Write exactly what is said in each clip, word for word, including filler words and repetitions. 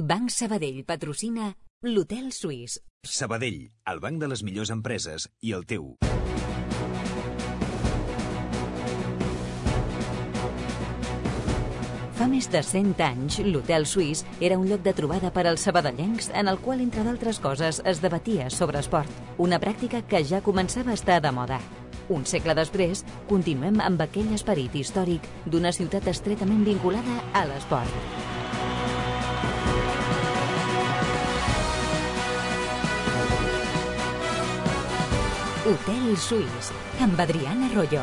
Banc Sabadell patrocina l'Hotel Suís. Sabadell, el banc de les millors empreses i el teu. Fa més de cent anys, l'Hotel Suís era un lloc de trobada per als sabadellencs en el qual, entre d'altres coses, es debatia sobre esport. Una pràctica que ja començava a estar de moda. Un segle després, continuem amb aquell esperit històric d'una ciutat estretament vinculada a l'esport. Hotel Suís, amb Adriana Royo.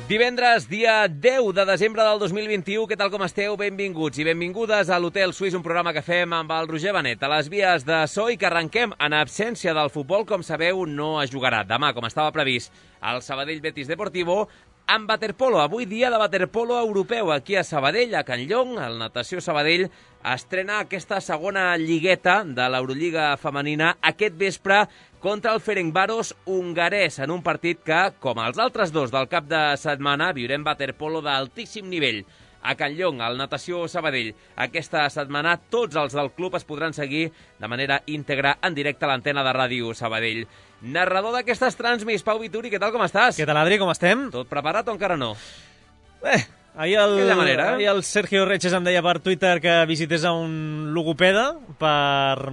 Divendres, dia deu de desembre del dos mil vint-i-u. Què tal com esteu? Benvinguts i benvingudes a l'Hotel Suís, un programa que fem amb el Roger Benet a les vies de so i que arrenquem en absència del futbol. Com sabeu, no es jugarà demà, com estava previst, al Sabadell Betis Deportivo, amb waterpolo. Avui dia de waterpolo europeu aquí a Sabadell, a Can Llong. El Natació Sabadell estrena aquesta segona lligueta de l'Eurolliga femenina aquest vespre contra el Ferencváros hongarès, en un partit que, com els altres dos del cap de setmana, viurem waterpolo d'altíssim nivell. A Can Llong, al Natació Sabadell, aquesta setmana tots els del club es podran seguir de manera íntegra en directe a l'antena de Ràdio Sabadell. Narrador d'aquestes transmis, Pau Vituri, què tal, com estàs? Què tal, Adri, com estem? Tot preparat o encara no? Eh, ahir el, manera, ahir el Sergio Reches em deia per Twitter que visités a un logopeda per,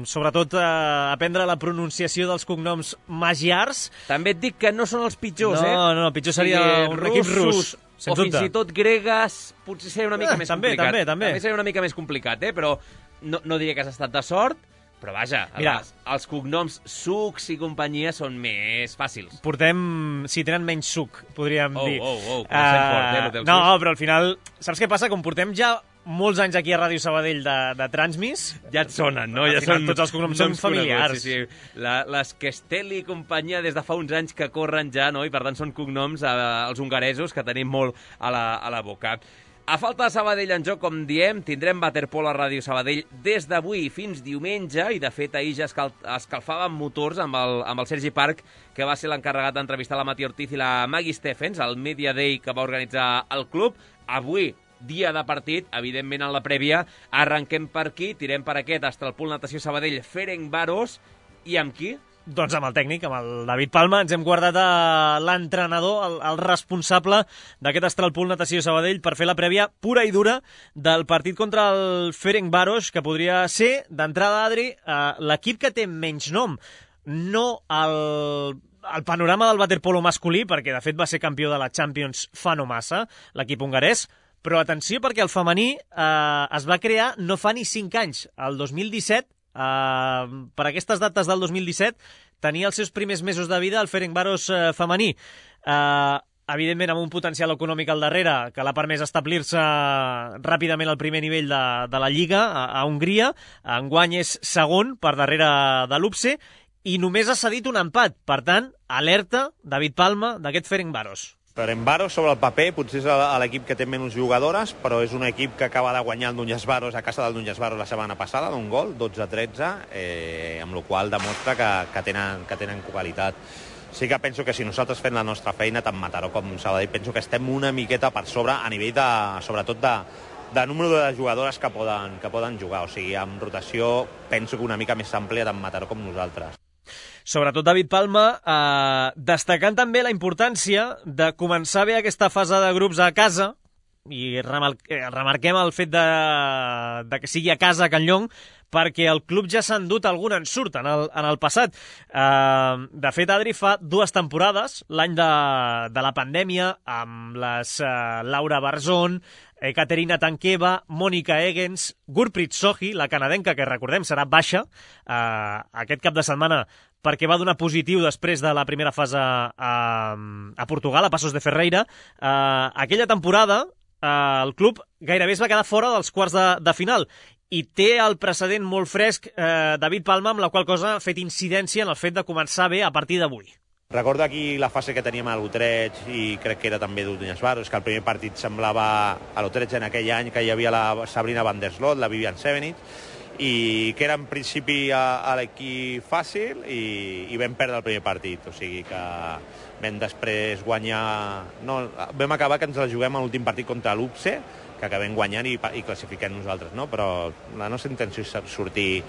sobretot, eh, aprendre la pronunciació dels cognoms magiars. També et dic que no són els pitjors, no, eh? No, no, pitjor seria sí, un russos, equip rus, o sens dubte. fins i tot gregues, potser seria una mica eh, més també, complicat. També, també, també seria una mica més complicat, eh? Però no, no diria que has estat de sort. Però vaja, Mira, els, els cognoms sucs i companyia són més fàcils. Portem, si tenen menys suc, podríem oh, dir. Oh, oh, oh, uh, fort, eh, no, però al final, saps què passa? Com portem ja molts anys aquí a Ràdio Sabadell de, de Transmis, ja et sonen, no? Ja són, tots els cognoms són familiars. Sí, sí. La, les Kestel i companyia des de fa uns anys que corren ja, no? I per tant són cognoms eh, els hongaresos que tenim molt a la, a la boca. A falta de Sabadell en joc, com diem, tindrem waterpolo a Ràdio Sabadell des d'avui fins diumenge, i de fet ahir ja escal escalfàvem motors amb el, amb el Sergi Parc, que va ser l'encarregat d'entrevistar la Mati Ortiz i la Maggie Stephens, al Media Day que va organitzar el club. Avui, dia de partit, evidentment en la prèvia, arrenquem per aquí, tirem per aquest Estralpool Natació Sabadell Ferencváros, i amb qui? Doncs amb el tècnic, amb el David Palma. Ens hem guardat a l'entrenador, el, el responsable d'aquest Estralpool Natació Sabadell, per fer la prèvia pura i dura del partit contra el Ferencváros, que podria ser, d'entrada, Adri, eh, l'equip que té menys nom. No el, el panorama del waterpolo masculí, perquè de fet va ser campió de la Champions fa no massa, l'equip hongarès, però atenció perquè el femení eh, es va crear no fa ni cinc anys, el dos mil disset. Uh, per aquestes dates del dos mil disset tenia els seus primers mesos de vida el Ferencváros uh, femení, uh, evidentment amb un potencial econòmic al darrere que l'ha permès establir-se ràpidament al primer nivell de, de la Lliga a, a Hongria. Enguany és segon per darrere de l'U P S E i només ha cedit un empat. Per tant, alerta, David Palma, d'aquest Ferencváros. Ferencváros, sobre el paper, potser és l'equip que té menys jugadores, però és un equip que acaba de guanyar el Núñez-Varos a casa del Núñez-Varos la setmana passada, d'un gol, dotze a tretze, eh, amb la qual demostra que, que, tenen, que tenen qualitat. Sí que penso que si nosaltres fem la nostra feina, tant Mataró com Sabadell, penso que estem una miqueta per sobre a nivell de, sobretot de, de número de jugadores que poden, que poden jugar. O sigui, amb rotació penso que una mica més àmplia tant Mataró com nosaltres. Sobretot David Palma, eh, destacant també la importància de començar bé aquesta fase de grups a casa, i remarquem el fet de, de que sigui a casa a Can Llong, perquè el club ja s'ha endut algun ensurt en el, en el passat. Eh, de fet, Adri, fa dues temporades, l'any de, de la pandèmia, amb les eh, Laura Barzón, Caterina Tankeva, Mònica Egens, Gurpreet Sohi, la canadenca, que recordem serà baixa eh, aquest cap de setmana perquè va donar positiu després de la primera fase a, a Portugal, a Passos de Ferreira. Eh, aquella temporada eh, el club gairebé es va quedar fora dels quarts de, de final i té el precedent molt fresc eh, David Palma, amb la qual cosa ha fet incidència en el fet de començar bé a partir d'avui. Recordo aquí la fase que teníem a l'Utrecht i crec que era també d'Unyasvaros, que el primer partit semblava a l'Utrecht en aquell any que hi havia la Sabrina van der Sloot, la Vivian Sevenich, i que era en principi a, a l'equip fàcil i, i vam perdre el primer partit, o sigui que vam després guanyar... No, vam acabar que ens la juguem a l'últim partit contra l'Upse, que acabem guanyant i, i classifiquem nosaltres, no? Però la nostra intenció és sortir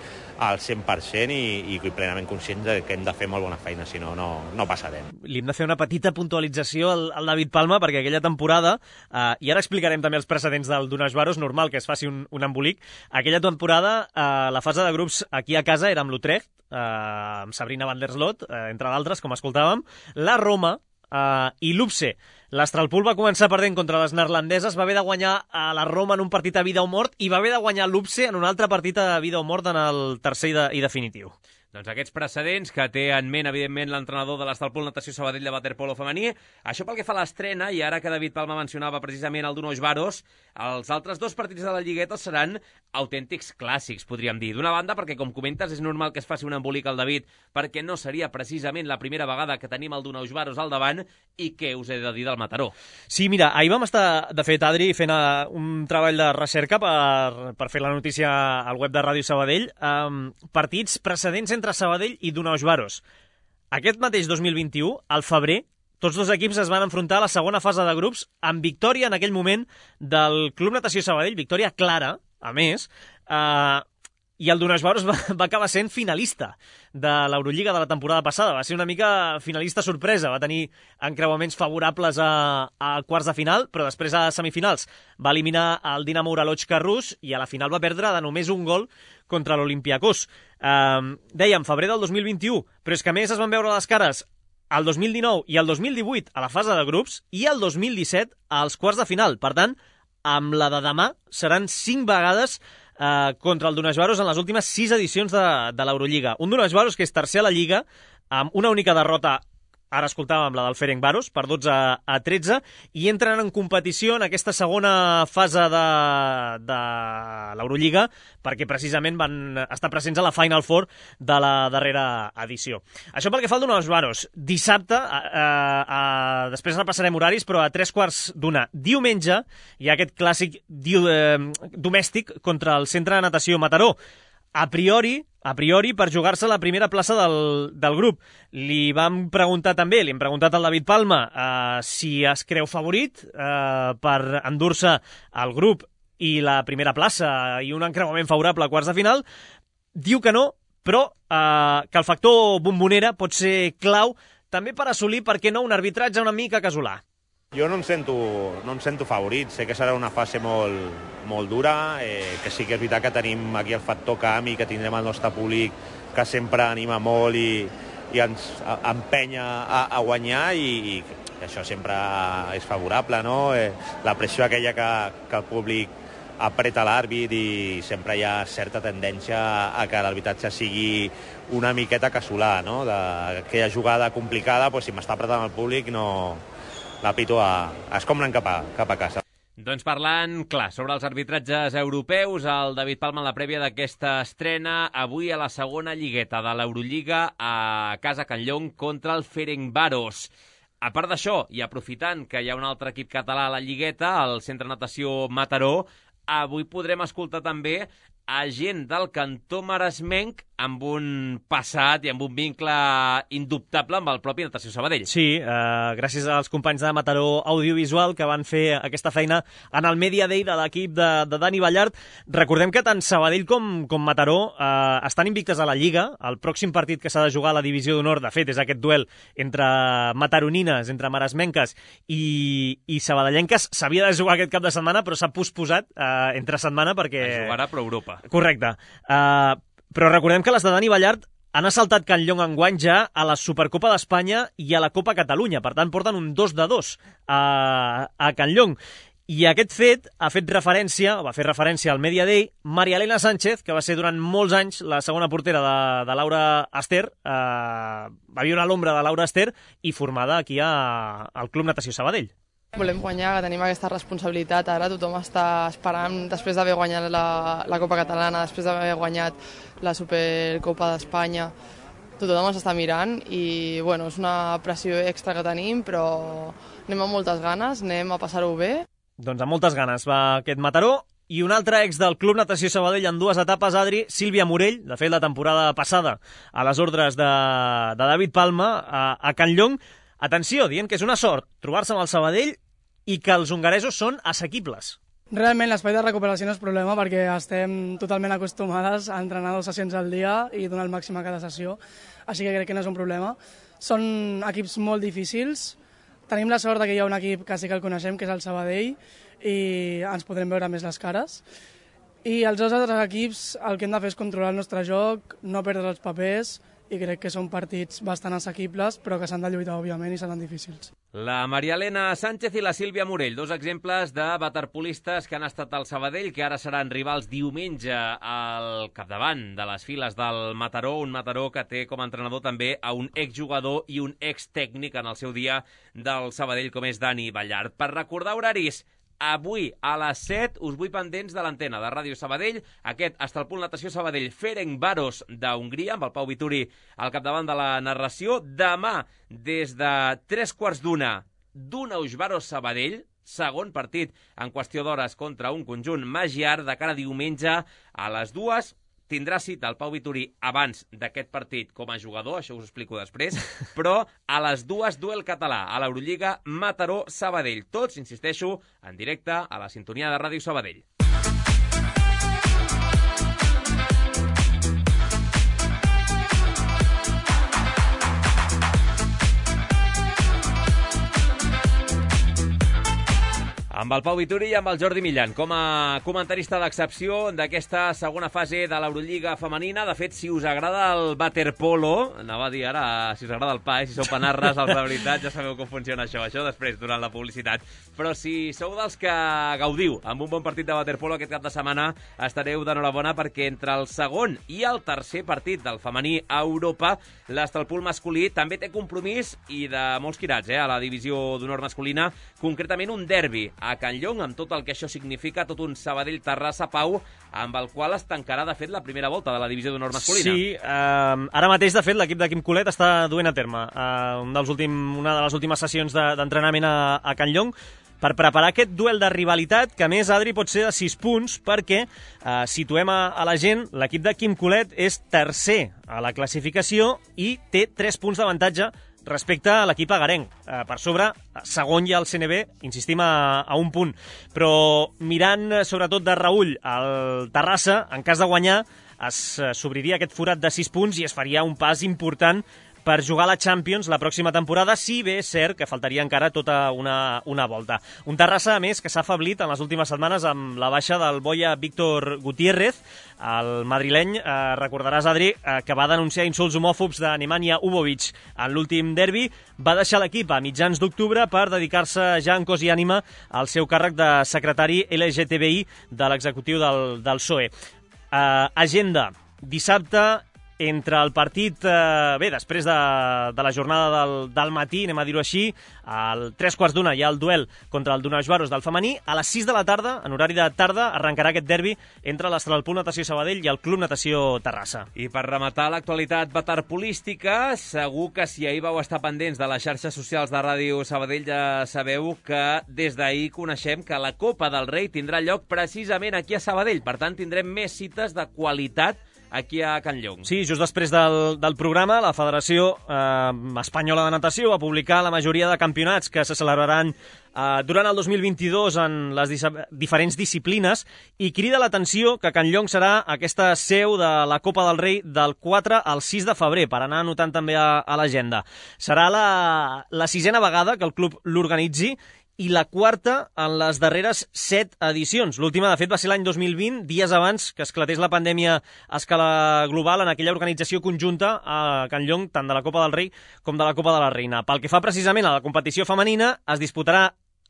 al cent per cent i, i plenament conscients de que hem de fer molt bona feina, si no, no, no passarem. Li hem de fer una petita puntualització al, al David Palma, perquè aquella temporada, eh, i ara explicarem també els precedents del Donasbaros, normal que es faci un, un embolic, aquella temporada eh, la fase de grups aquí a casa era amb l'Utrecht, eh, amb Sabrina van der Slot, eh, entre d'altres, com escoltàvem, la Roma eh, i l'Upse. L'Astralpool va començar perdent contra les neerlandeses, va haver de guanyar a la Roma en un partit a vida o mort i va haver de guanyar l'Upse en un altre partit a vida o mort en el tercer i, de, i definitiu. Doncs aquests precedents que té en ment, evidentment, l'entrenador de l'Astralpool Natació Sabadell de waterpolo femení. Això pel que fa a l'estrena, i ara que David Palma mencionava precisament el Donasbaros, els altres dos partits de la Lligueta seran autèntics clàssics, podríem dir. D'una banda, perquè, com comentes, és normal que es faci un embolic al David, perquè no seria precisament la primera vegada que tenim el Donasbaros al davant, i què us he de dir del Mataró? Sí, mira, ahir vam estar, de fet, Adri, fent uh, un treball de recerca per, per fer la notícia al web de Ràdio Sabadell. Um, partits precedents entre Sabadell i Donasbaros. Aquest mateix dos mil vint-i-u, al febrer, tots dos equips es van enfrontar a la segona fase de grups amb victòria en aquell moment del Club Natació Sabadell, victòria clara, a més, eh, i el Donasbaros va, va acabar sent finalista de l'Eurolliga de la temporada passada. Va ser una mica finalista sorpresa, va tenir encreuaments favorables a, a quarts de final, però després a semifinals va eliminar el Dinamo Uralochka rus i a la final va perdre de només un gol contra l'Olympiakos. Um, dèiem, febrer del dos mil vint-i-u, però és que a més es van veure les cares el dos mil dinou i el dos mil divuit a la fase de grups i el dos mil disset als quarts de final. Per tant, amb la de demà seran cinc vegades eh, contra el Donasbaros en les últimes sis edicions de, de l'Eurolliga. Un Donasbaros que és tercer a la Lliga, amb una única derrota, ara escoltàvem la del Ferencváros, per dotze a tretze, i entren en competició en aquesta segona fase de, de l'Eurolliga, perquè precisament van estar presents a la Final Four de la darrera edició. Això pel que fa al Donasbaros. Dissabte, eh, eh, després repassarem horaris, però a tres quarts d'una. Diumenge hi ha aquest clàssic diu, eh, domèstic contra el Centre de Natació Mataró. A priori, a priori per jugar-se la primera plaça del, del grup. Li vam preguntar també, li hem preguntat al David Palma eh, si es creu favorit eh, per endur-se al grup i la primera plaça i un encreuament favorable a quarts de final. Diu que no, però eh, que el factor bombonera pot ser clau també per assolir, per què no, un arbitratge una mica casolà. Jo no em sento, no em sento favorit, sé que serà una fase molt, molt dura, eh, que sí que és veritat que tenim aquí el factor camp i que tindrem el nostre públic que sempre anima molt i, i ens empenya a, a guanyar i, i això sempre és favorable, no? Eh, la pressió aquella que, que el públic apreta l'àrbit i sempre hi ha certa tendència a que l'arbitratge sigui una miqueta casolà, no? D'aquella jugada complicada, doncs, si m'està apretant el públic no... la pito a, a escombren cap a, cap a casa. Doncs parlant, clar, sobre els arbitratges europeus, el David Palma en la prèvia d'aquesta estrena, avui a la segona lligueta de l'Eurolliga a casa Can Llong contra el Ferencváros. A part d'això, i aprofitant que hi ha un altre equip català a la lligueta, el Centre Natació Mataró, avui podrem escoltar també a gent del cantó maresmenc amb un passat i amb un vincle indubtable amb el propi Natació Sabadell. Sí, eh, gràcies als companys de Mataró Audiovisual que van fer aquesta feina en el Media Day de l'equip de, de Dani Ballart. Recordem que tant Sabadell com, com Mataró eh, estan invictes a la Lliga. El pròxim partit que s'ha de jugar a la Divisió d'Honor, de fet, és aquest duel entre mataronines, entre maresmenques i, i sabadellenques. S'havia de jugar aquest cap de setmana, però s'ha posposat eh, entre setmana perquè... Es jugarà per Europa. Correcte. Uh, però recordem que les de Dani Ballart han assaltat Can Llong enguany ja a la Supercopa d'Espanya i a la Copa Catalunya. Per tant, porten un dos de dos a, a Can Llong. I aquest fet ha fet referència, o va fer referència al Media Day, Maria Elena Sánchez, que va ser durant molts anys la segona portera de, de Laura Ester, eh, va viure a l'ombra de Laura Ester i formada aquí a, al Club Natació Sabadell. Volem guanyar, que tenim aquesta responsabilitat. Ara tothom està esperant, després d'haver guanyat la, la Copa Catalana, després d'haver guanyat la Supercopa d'Espanya, tothom ens està mirant i bueno, és una pressió extra que tenim, però anem amb moltes ganes, anem a passar-ho bé. Doncs amb moltes ganes va aquest Mataró. I un altre ex del Club Natació Sabadell en dues etapes, Adri, Sílvia Morell, de fet la temporada passada a les ordres de, de David Palma a, a Can Llong. Atenció, dient que és una sort trobar-se amb el Sabadell i que els hongaresos són assequibles. Realment l'espai de recuperació no és problema perquè estem totalment acostumades a entrenar dues sessions al dia i donar el màxim a cada sessió, així que crec que no és un problema. Són equips molt difícils, tenim la sort que hi ha un equip que sí que el coneixem, que és el Sabadell, i ens podrem veure més les cares. I els dos altres equips el que hem de fer és controlar el nostre joc, no perdre els papers, i crec que són partits bastant assequibles, però que s'han de lluitar, òbviament, i seran difícils. La Maria Elena Sánchez i la Sílvia Morell, dos exemples de waterpolistes que han estat al Sabadell, que ara seran rivals diumenge al capdavant de les files del Mataró, un Mataró que té com a entrenador també a un exjugador i un extècnic en el seu dia del Sabadell, com és Dani Ballart. Per recordar horaris, avui a les set us vull pendents de l'antena de Ràdio Sabadell, aquest Estalpul Natació Sabadell Ferencváros d'Hongria, amb el Pau Vituri al capdavant de la narració. Demà, des de tres quarts d'una, Dunausvaros Sabadell, segon partit en qüestió d'hores contra un conjunt magiar. De cara a diumenge a les dues, tindrà cita el Pau Vituri abans d'aquest partit com a jugador, això us ho explico després, però a les dues duel català a l'Eurolliga Mataró-Sabadell. Tots, insisteixo, en directe a la sintonia de Ràdio Sabadell. Amb el Pau Vituri i amb el Jordi Millan, com a comentarista d'excepció d'aquesta segona fase de l'Eurolliga femenina. De fet, si us agrada el waterpolo, anava a dir ara, si us agrada el pa, eh? Si sou panarres, els de veritat, ja sabeu com funciona això, això després, durant la publicitat. Però si sou dels que gaudiu amb un bon partit de waterpolo aquest cap de setmana, estareu d'enhorabona perquè entre el segon i el tercer partit del femení a Europa, l'Estalpul masculí també té compromís i de molts quirats, eh? A la divisió d'honor masculina, concretament un derbi a Can Llong, amb tot el que això significa, tot un Sabadell-Terrassa, Pau, amb el qual es tancarà, de fet, la primera volta de la divisió d'honor masculina. Sí, eh, ara mateix, de fet, l'equip de Quim Colet està duent a terme eh, un dels últim, una de les últimes sessions d'entrenament de, a, a Can Llong per preparar aquest duel de rivalitat, que a més, Adri, pot ser de sis punts, perquè eh, situem a, a la gent, l'equip de Quim Colet és tercer a la classificació i té tres punts d'avantatge respecte a l'equip agarenc. Eh, per sobre, segon hi ha el C N B, insistim, a, a un punt. Però mirant, sobretot de reüll, el Terrassa, en cas de guanyar, s'obriria aquest forat de sis punts i es faria un pas important per jugar a la Champions la pròxima temporada, si bé és cert que faltaria encara tota una, una volta. Un Terrassa, a més, que s'ha afeblit en les últimes setmanes amb la baixa del boia Víctor Gutiérrez, el madrileny. Eh, recordaràs, Adri, eh, que va denunciar insults homòfobs de Nemanja Ubovic en l'últim derbi. Va deixar l'equip a mitjans d'octubre per dedicar-se ja en cos i ànima al seu càrrec de secretari L G T B I de l'executiu del, del P S O E. Eh, agenda, dissabte, entre el partit, eh, bé, després de, de la jornada del, del matí, anem a dir-ho així, al tres quarts d'una hi ha el duel contra el Dunausvaros del femení. A les sis de la tarda, en horari de tarda, arrencarà aquest derbi entre l'Estalpul Natació Sabadell i el Club Natació Terrassa. I per rematar l'actualitat waterpolística, segur que si ahir vau estar pendents de les xarxes socials de Ràdio Sabadell ja sabeu que des d'ahir coneixem que la Copa del Rei tindrà lloc precisament aquí a Sabadell. Per tant, tindrem més cites de qualitat aquí a Can Llong. Sí, just després del, del programa, la Federació eh, Espanyola de Natació va publicar la majoria de campionats que se celebraran eh, durant el dos mil vint-i-dos en les diferents disciplines i crida l'atenció que Can Llong serà aquesta seu de la Copa del Rei del quatre al sis de febrer, per anar anotant també a, a l'agenda. Serà la, la sisena vegada que el club l'organitzi i la quarta en les darreres set edicions. L'última, de fet, va ser l'any dos mil vint, dies abans que esclatés la pandèmia a escala global en aquella organització conjunta a Can Llong, tant de la Copa del Rei com de la Copa de la Reina. Pel que fa precisament a la competició femenina, es disputarà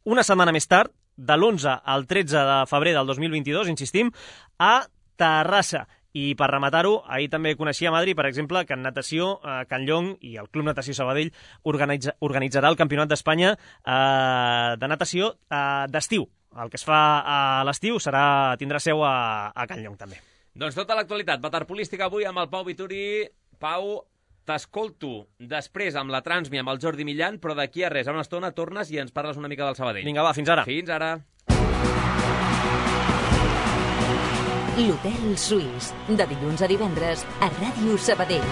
una setmana més tard, de l'onze al tretze de febrer del dos mil vint-i-dos, insistim, a Terrassa. I per rematar-ho, ahir també coneixia a Madrid, per exemple, que en natació eh, Can Llong i el Club Natació Sabadell organitza, organitzarà el Campionat d'Espanya eh, de natació eh, d'estiu. El que es fa a l'estiu serà tindrà seu a, a Can Llong també. Doncs tota l'actualitat waterpolística avui amb el Pau Vituri. Pau, t'escolto després amb la Transmi, amb el Jordi Millan, però d'aquí a res, a una estona tornes i ens parles una mica del Sabadell. Vinga, va, fins ara. Fins ara. L'Hotel Suís, de dilluns a divendres a Ràdio Sabadell.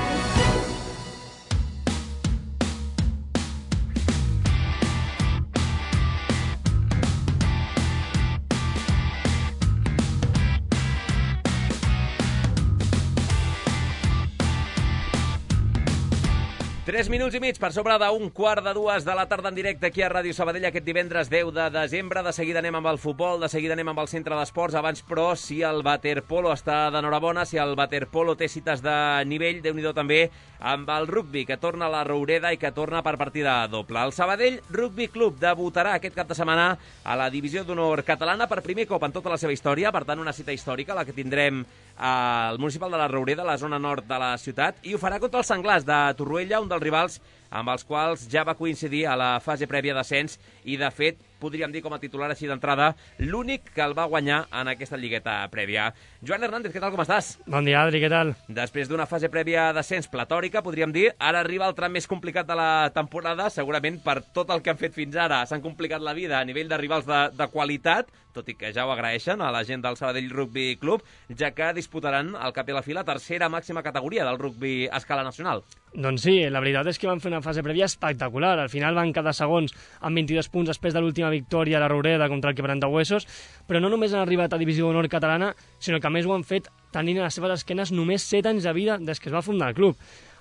Tres minuts i mig per sobre d'un quart de dues de la tarda en directe aquí a Ràdio Sabadell aquest divendres deu de desembre. De seguida anem amb el futbol, de seguida anem amb el centre d'esports. Abans, però, si el waterpolo està d'enhorabona, si el waterpolo té cites de nivell, Déu-n'hi-do també amb el rugbi, que torna a la Roureda i que torna per partida doble. El Sabadell Rugby Club debutarà aquest cap de setmana a la divisió d'honor catalana per primer cop en tota la seva història, per tant una cita històrica, la que tindrem al municipal de la Roureda, a la zona nord de la ciutat, i ho farà contra els Senglars de Torroella, un dels rivals amb els quals ja va coincidir a la fase prèvia d'ascens i, de fet, podríem dir com a titular així d'entrada, l'únic que el va guanyar en aquesta lligueta prèvia. Joan Hernández, què tal, com estàs? Bon dia, Adri, què tal? Després d'una fase prèvia d'ascens platòrica, podríem dir, ara arriba el tram més complicat de la temporada, segurament per tot el que han fet fins ara. S'han complicat la vida a nivell de rivals de, de qualitat, tot i que ja ho agraeixen a la gent del Sabadell Rugby Club, ja que disputaran al cap i a la fi la tercera màxima categoria del rugby a escala nacional. Doncs sí, la veritat és que van fer una fase prèvia espectacular. Al final van quedar segons amb vint-i-dos punts després de l'última victòria a la Roureda contra el Quebrantahuesos, però no només han arribat a Divisió d'Honor catalana, sinó que a més ho han fet tenint a les seves esquenes només set anys de vida des que es va fundar el club.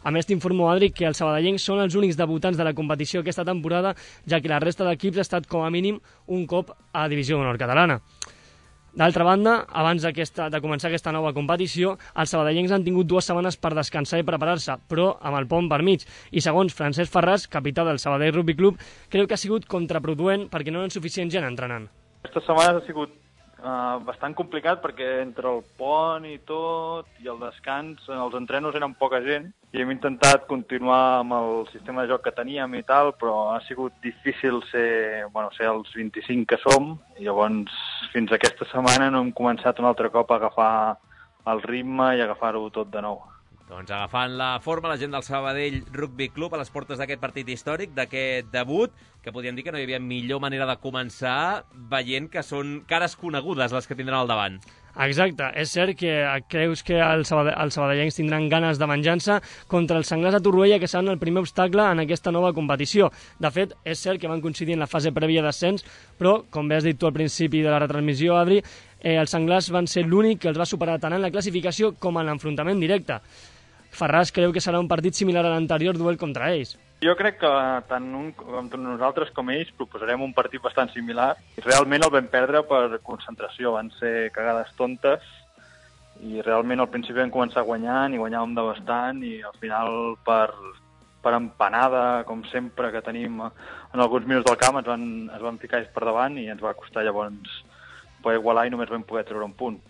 A més, t'informo, Adri, que els sabadellencs són els únics debutants de la competició aquesta temporada, ja que la resta d'equips ha estat com a mínim un cop a Divisió d'Honor catalana. D'altra banda, abans de començar aquesta nova competició, els sabadellencs han tingut dues setmanes per descansar i preparar-se, però amb el pont per mig. I segons Francesc Ferràs, capità del Sabadell Rugby Club, creu que ha sigut contraproduent perquè no hi ha suficient gent entrenant. Aquestes setmanes ha sigut uh, bastant complicat perquè entre el pont i tot i el descans, els entrenos eren poca gent i hem intentat continuar amb el sistema de joc que teníem i tal, però ha sigut difícil ser, bueno, ser els vint-i-cinc que som, i llavors fins aquesta setmana no hem començat un altre cop a agafar el ritme i agafar-ho tot de nou. Doncs agafant la forma, la gent del Sabadell Rugby Club a les portes d'aquest partit històric, d'aquest debut, que podríem dir que no hi havia millor manera de començar veient que són cares conegudes les que tindran al davant. Exacte, és cert que creus que els sabadellencs tindran ganes de venjança contra els Senglars de Torroella, que seran el primer obstacle en aquesta nova competició. De fet, és cert que van coincidir en la fase prèvia d'ascens, però, com bé has dit tu al principi de la retransmissió, Adri, eh, els Senglars van ser l'únic que els va superar tant en la classificació com en l'enfrontament directe. Ferràs creu que serà un partit similar a l'anterior duel contra ells. Jo crec que tant un, com nosaltres com ells proposarem un partit bastant similar. Realment el vam perdre per concentració, van ser cagades tontes i realment al principi vam començar guanyant i guanyàvem de bastant i al final per, per empanada, com sempre que tenim en alguns minuts del camp, ens van, es van ficar ells per davant i ens va costar llavors poder igualar i només vam poder treure un punt.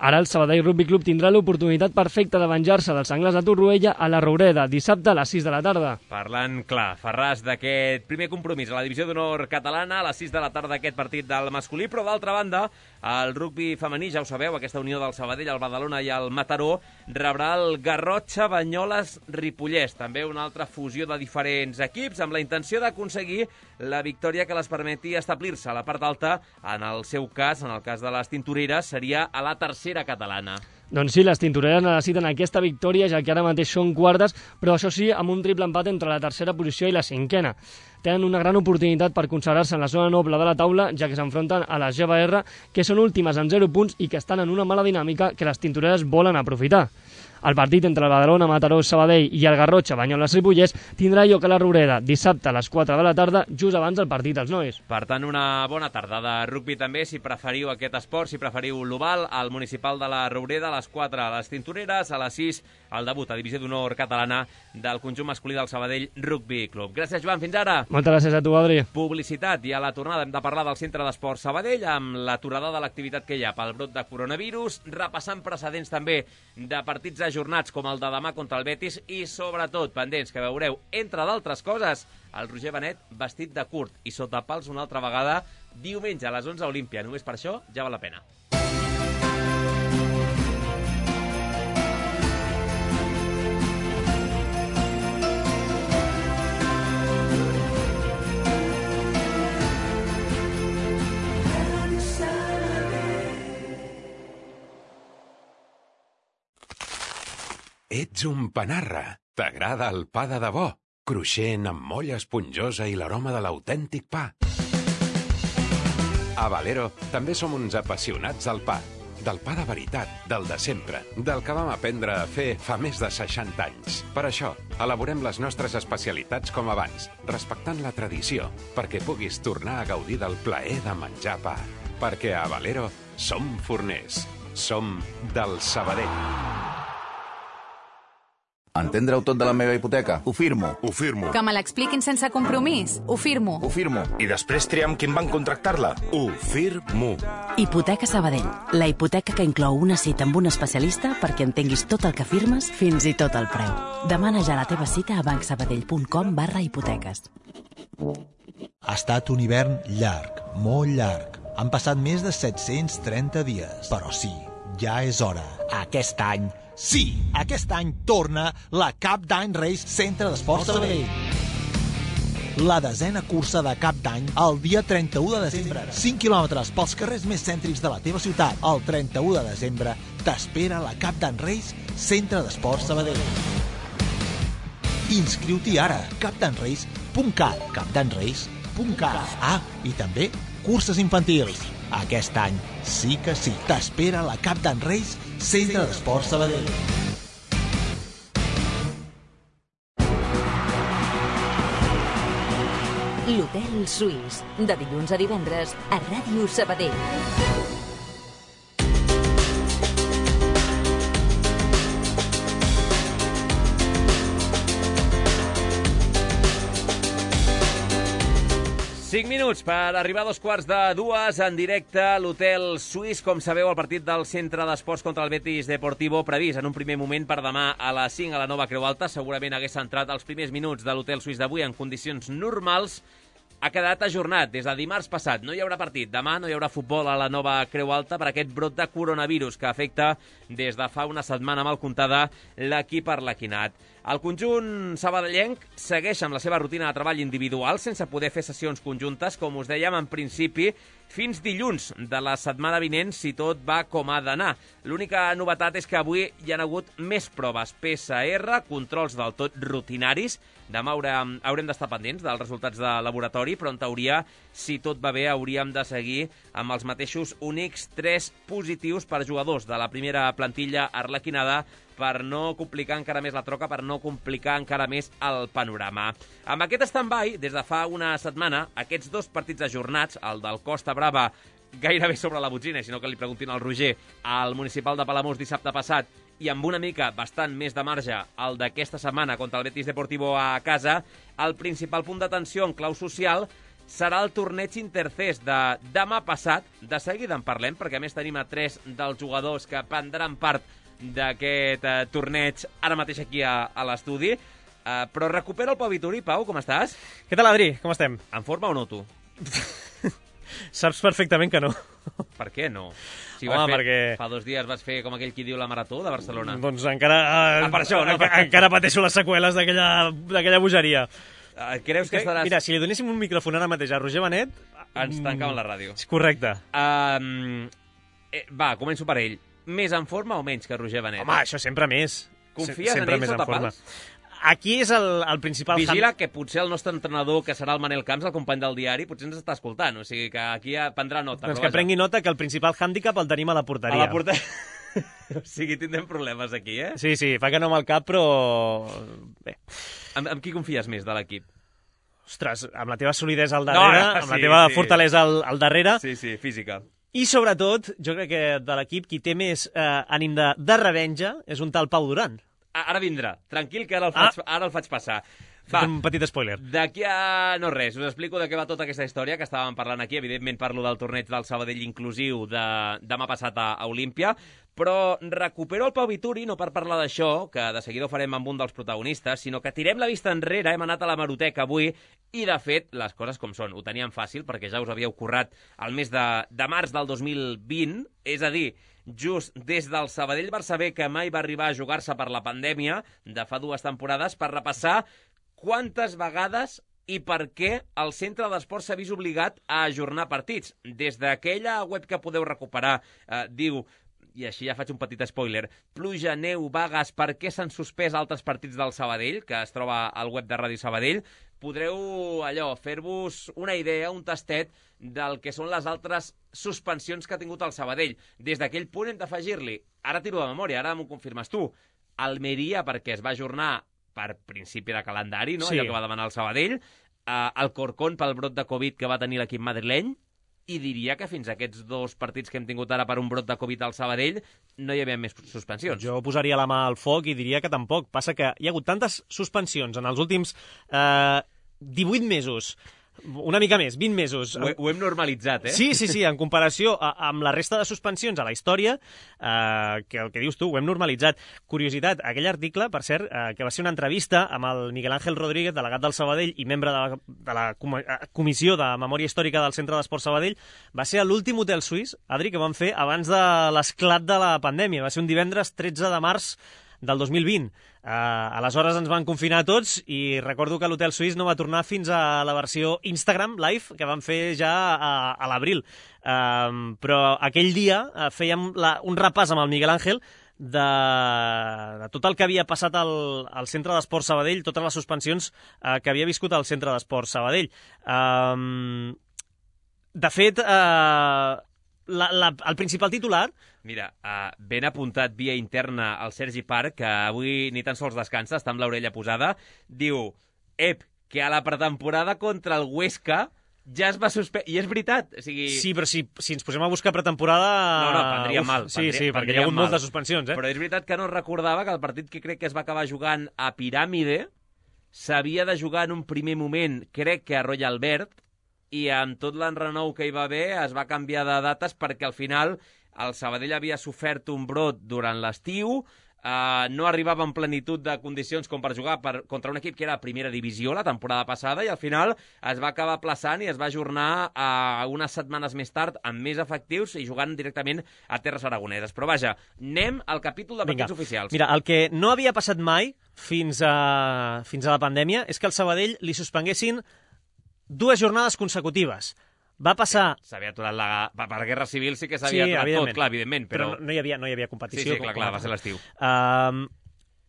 Ara el Sabadell Rugby Club tindrà l'oportunitat perfecta de venjar-se dels Senglars de Torroella a la Roureda, dissabte a les sis de la tarda. Parlant clar, Ferràs, d'aquest primer compromís a la Divisió d'Honor catalana, a les sis de la tarda aquest partit del masculí, però d'altra banda, el rugbi femení, ja ho sabeu, aquesta unió del Sabadell, el Badalona i el Mataró, rebrà el Garrotxa Banyoles Ripollès, també una altra fusió de diferents equips, amb la intenció d'aconseguir la victòria que les permeti establir-se a la part alta. En el seu cas, en el cas de les tintoreres, seria a la tercera catalana. Doncs sí, les tintoreres necessiten aquesta victòria, ja que ara mateix són quartes, però això sí, amb un triple empat entre la tercera posició i la cinquena. Tenen una gran oportunitat per consagrar-se en la zona noble de la taula, ja que s'enfronten a les G B R, que són últimes amb zero punts i que estan en una mala dinàmica que les tintoreres volen aprofitar. El partit entre el Badalona, Mataró, Sabadell i el Garrotxa Banyoles Ripollès tindrà lloc a la Roureda dissabte a les quatre de la tarda, just abans del partit dels nois. Per tant, una bona tarda de rugbi també, si preferiu aquest esport, si preferiu l'oval, al municipal de la Roureda, a les quatre a les tintoreres, a les sis el debut a Divisió d'Honor catalana del conjunt masculí del Sabadell Rugby Club. Gràcies, Joan, fins ara. Moltes gràcies a tu, Adri. Publicitat, i a la tornada hem de parlar del Centre d'Esport Sabadell amb l'aturada de l'activitat que hi ha pel brot de coronavirus, repassant precedents també de partits ajornats com el de demà contra el Betis i, sobretot, pendents que veureu, entre d'altres coses, el Roger Benet vestit de curt i sota pals una altra vegada diumenge a les onze a Olímpia. Només per això ja val la pena. Ets un panarra. T'agrada el pa de debò, cruixent amb molla esponjosa i l'aroma de l'autèntic pa. A Valero també som uns apassionats del pa. Del pa de veritat, del de sempre, del que vam aprendre a fer fa més de seixanta anys. Per això, elaborem les nostres especialitats com abans, respectant la tradició, perquè puguis tornar a gaudir del plaer de menjar pa. Perquè a Valero som forners. Som del Sabadell. Entendre-ho tot de la meva hipoteca? Ho firmo. Ho firmo. Que me l'expliquin sense compromís? Ho firmo. Ho firmo. I després triar amb quin banc contractar-la? Ho firmo. Hipoteca Sabadell. La hipoteca que inclou una cita amb un especialista perquè entenguis tot el que firmes, fins i tot el preu. Demana ja la teva cita a bancsabadell.com barra hipoteques. Ha estat un hivern llarg, molt llarg. Han passat més de set-cents trenta dies. Però sí, ja és hora. Aquest any, sí, aquest any torna la Cap d'Any Race Centre d'Esports Sabadell. La desena cursa de Cap d'Any el dia trenta-u de desembre. cinc quilòmetres pels carrers més cèntrics de la teva ciutat. El trenta-u de desembre t'espera la Cap d'Any Race Centre d'Esports Sabadell. Inscriu-t'hi ara. cap d'any race punt cat. cap d'any race punt cat. Ah, i també curses infantils. Aquest any sí que sí. T'espera la Cap d'Any Race Centre d'Esports Sabadell. L'Hotel Suís, de dilluns a divendres a Ràdio Sabadell. cinc minuts per arribar a dos quarts de dues en directe a l'Hotel Suís. Com sabeu, el partit del Centre d'Esports contra el Betis Deportivo previst en un primer moment per demà a les cinc a la nova Creu Alta. Segurament hagués centrat els primers minuts de l'Hotel Suís d'avui en condicions normals. Ha quedat ajornat des de dimarts passat. No hi haurà partit. Demà no hi haurà futbol a la nova Creu Alta per aquest brot de coronavirus que afecta des de fa una setmana mal comptada l'equip arlequinat. El conjunt sabadellenc segueix amb la seva rutina de treball individual sense poder fer sessions conjuntes, com us dèiem en principi, fins dilluns de la setmana vinent, si tot va com ha d'anar. L'única novetat és que avui hi ha hagut més proves P C R, controls del tot rutinaris. Demà haurem, haurem d'estar pendents dels resultats de laboratori, però en teoria, si tot va bé, hauríem de seguir amb els mateixos únics tres positius per jugadors de la primera plantilla arlequinada, per no complicar encara més la troca, per no complicar encara més el panorama. Amb aquest stand-by, des de fa una setmana, aquests dos partits ajornats, el del Costa Brava gairebé sobre la botzina, sinó que li preguntin al Roger, al municipal de Palamós dissabte passat, i amb una mica bastant més de marge el d'aquesta setmana contra el Betis Deportivo a casa, el principal punt d'atenció en clau social serà el torneig Intercés de demà passat. De seguida en parlem, perquè a més tenim a tres dels jugadors que prendran part d'aquest eh, torneig ara mateix aquí a, a l'estudi. Uh, però recupera el Pau Vituri. Pau, com estàs? Què tal, Adri? Com estem? En forma o no, tu? Saps perfectament que no. Per què no? Si Home, vas fer, perquè... fa dos dies vas fer com aquell qui diu la marató de Barcelona. Doncs encara... Uh, ah, per això, no? Encara, encara pateixo les seqüeles d'aquella bogeria. Uh, creus que estaràs... Mira, si li donéssim un micròfon ara mateix a Roger Benet... Ens tancàvem la ràdio. Correcte. Um, eh, va, començo per ell. Més en forma o menys que Roger Benet? Home, això sempre més. Confies sempre en ell sota pals? Aquí és el, el principal... Vigila que potser el nostre entrenador, que serà el Manel Camps, el company del diari, potser ens està escoltant. O sigui que aquí prendrà nota. Doncs que prengui nota que el principal hàndicap el tenim a la porteria. A la porteria... O sigui, tindrem problemes aquí, eh? Sí, sí, fa que no amb el cap, però... Bé. Amb, amb qui confies més de l'equip? Ostres, amb la teva solidesa al darrere, no, no, amb sí, la teva sí. fortalesa al, al darrere... Sí, sí, física. I, sobretot, jo crec que de l'equip qui té més eh, ànim de, de revenja és un tal Pau Duran. Ara vindrà. Tranquil, que ara el faig, ah. ara el faig passar. Va, un petit spoiler. D'aquí a... no res, us explico de què va tota aquesta història que estàvem parlant aquí. Evidentment parlo del torneig del Sabadell inclusiu de demà passat a Olímpia, però recupero el Pau Vituri no per parlar d'això, que de seguida ho farem amb un dels protagonistes, sinó que tirem la vista enrere, hem anat a la Maroteca avui, i de fet, les coses com són. Ho teníem fàcil, perquè ja us havíeu currat el mes de, de març del dos mil vint, és a dir, just des del Sabadell-Barça B, que mai va arribar a jugar-se per la pandèmia, de fa dues temporades, per repassar quantes vegades i per què el Centre d'Esports s'ha vist obligat a ajornar partits. Des d'aquella web que podeu recuperar, eh, diu i així ja faig un petit spoiler, pluja, neu, vagues, per què s'han suspès altres partits del Sabadell, que es troba al web de Ràdio Sabadell, podreu allò fer-vos una idea, un tastet del que són les altres suspensions que ha tingut el Sabadell. Des d'aquell punt hem d'afegir-li, ara tiro de memòria, ara m'ho confirmes tu, Almeria, perquè es va ajornar per principi de calendari, no? Sí. Allò que va demanar el Sabadell, uh, el Corcón pel brot de Covid que va tenir l'equip madrileny, i diria que fins a aquests dos partits que hem tingut ara per un brot de Covid al Sabadell no hi havia més suspensions. Jo posaria la mà al foc i diria que tampoc. Passa que hi ha hagut tantes suspensions en els últims eh, divuit mesos, una mica més, vint mesos. Ho, ho hem normalitzat, eh? Sí, sí, sí, en comparació a, amb la resta de suspensions a la història, eh, que el que dius tu, ho hem normalitzat. Curiositat, aquell article, per cert, eh, que va ser una entrevista amb el Miguel Ángel Rodríguez, delegat del Sabadell i membre de la, de la com Comissió de Memòria Històrica del Centre d'Esport Sabadell, va ser a l'últim hotel suís, Adri, que vam fer abans de l'esclat de la pandèmia. Va ser un divendres tretze de març del dos mil vint. Uh, aleshores ens van confinar tots i recordo que l'Hotel Suís no va tornar fins a la versió Instagram Live que van fer ja a, a l'abril. Uh, però aquell dia uh, fèiem la, un repàs amb el Miguel Ángel de, de tot el que havia passat al, al Centre d'Esport Sabadell, totes les suspensions uh, que havia viscut al Centre d'Esport Sabadell. Uh, de fet, uh, la, la, el principal titular... Mira, uh, ben apuntat via interna al Sergi Parc, que avui ni tan sols descansa, està amb l'orella posada, diu, ep, que a la pretemporada contra el Huesca ja es va suspendre... I és veritat, o sigui... Sí, però si, si ens posem a buscar pretemporada... No, no, prendria Uf, mal. Sí, prendria, sí, perquè hi ha hagut moltes suspensions, eh? Però és veritat que no recordava que el partit que crec que es va acabar jugant a Piràmide s'havia de jugar en un primer moment, crec que a Royal Albert, i amb tot l'enrenou que hi va haver es va canviar de dates perquè al final el Sabadell havia sofert un brot durant l'estiu, eh, no arribava en plenitud de condicions com per jugar per, contra un equip que era a primera divisió la temporada passada i al final es va acabar aplaçant i es va ajornar a unes setmanes més tard amb més efectius i jugant directament a terres aragoneses. Però vaja, anem al capítol de partits Vinga. oficials. Mira, el que no havia passat mai fins a, fins a la pandèmia és que al Sabadell li suspenguessin dues jornades consecutives. Va passar... S'havia aturat la... Per la Guerra Civil sí que s'havia sí, aturat tot, clar, evidentment, però... però no hi havia, no hi havia competició. Sí, sí, clar, clar, va ser l'estiu. Uh,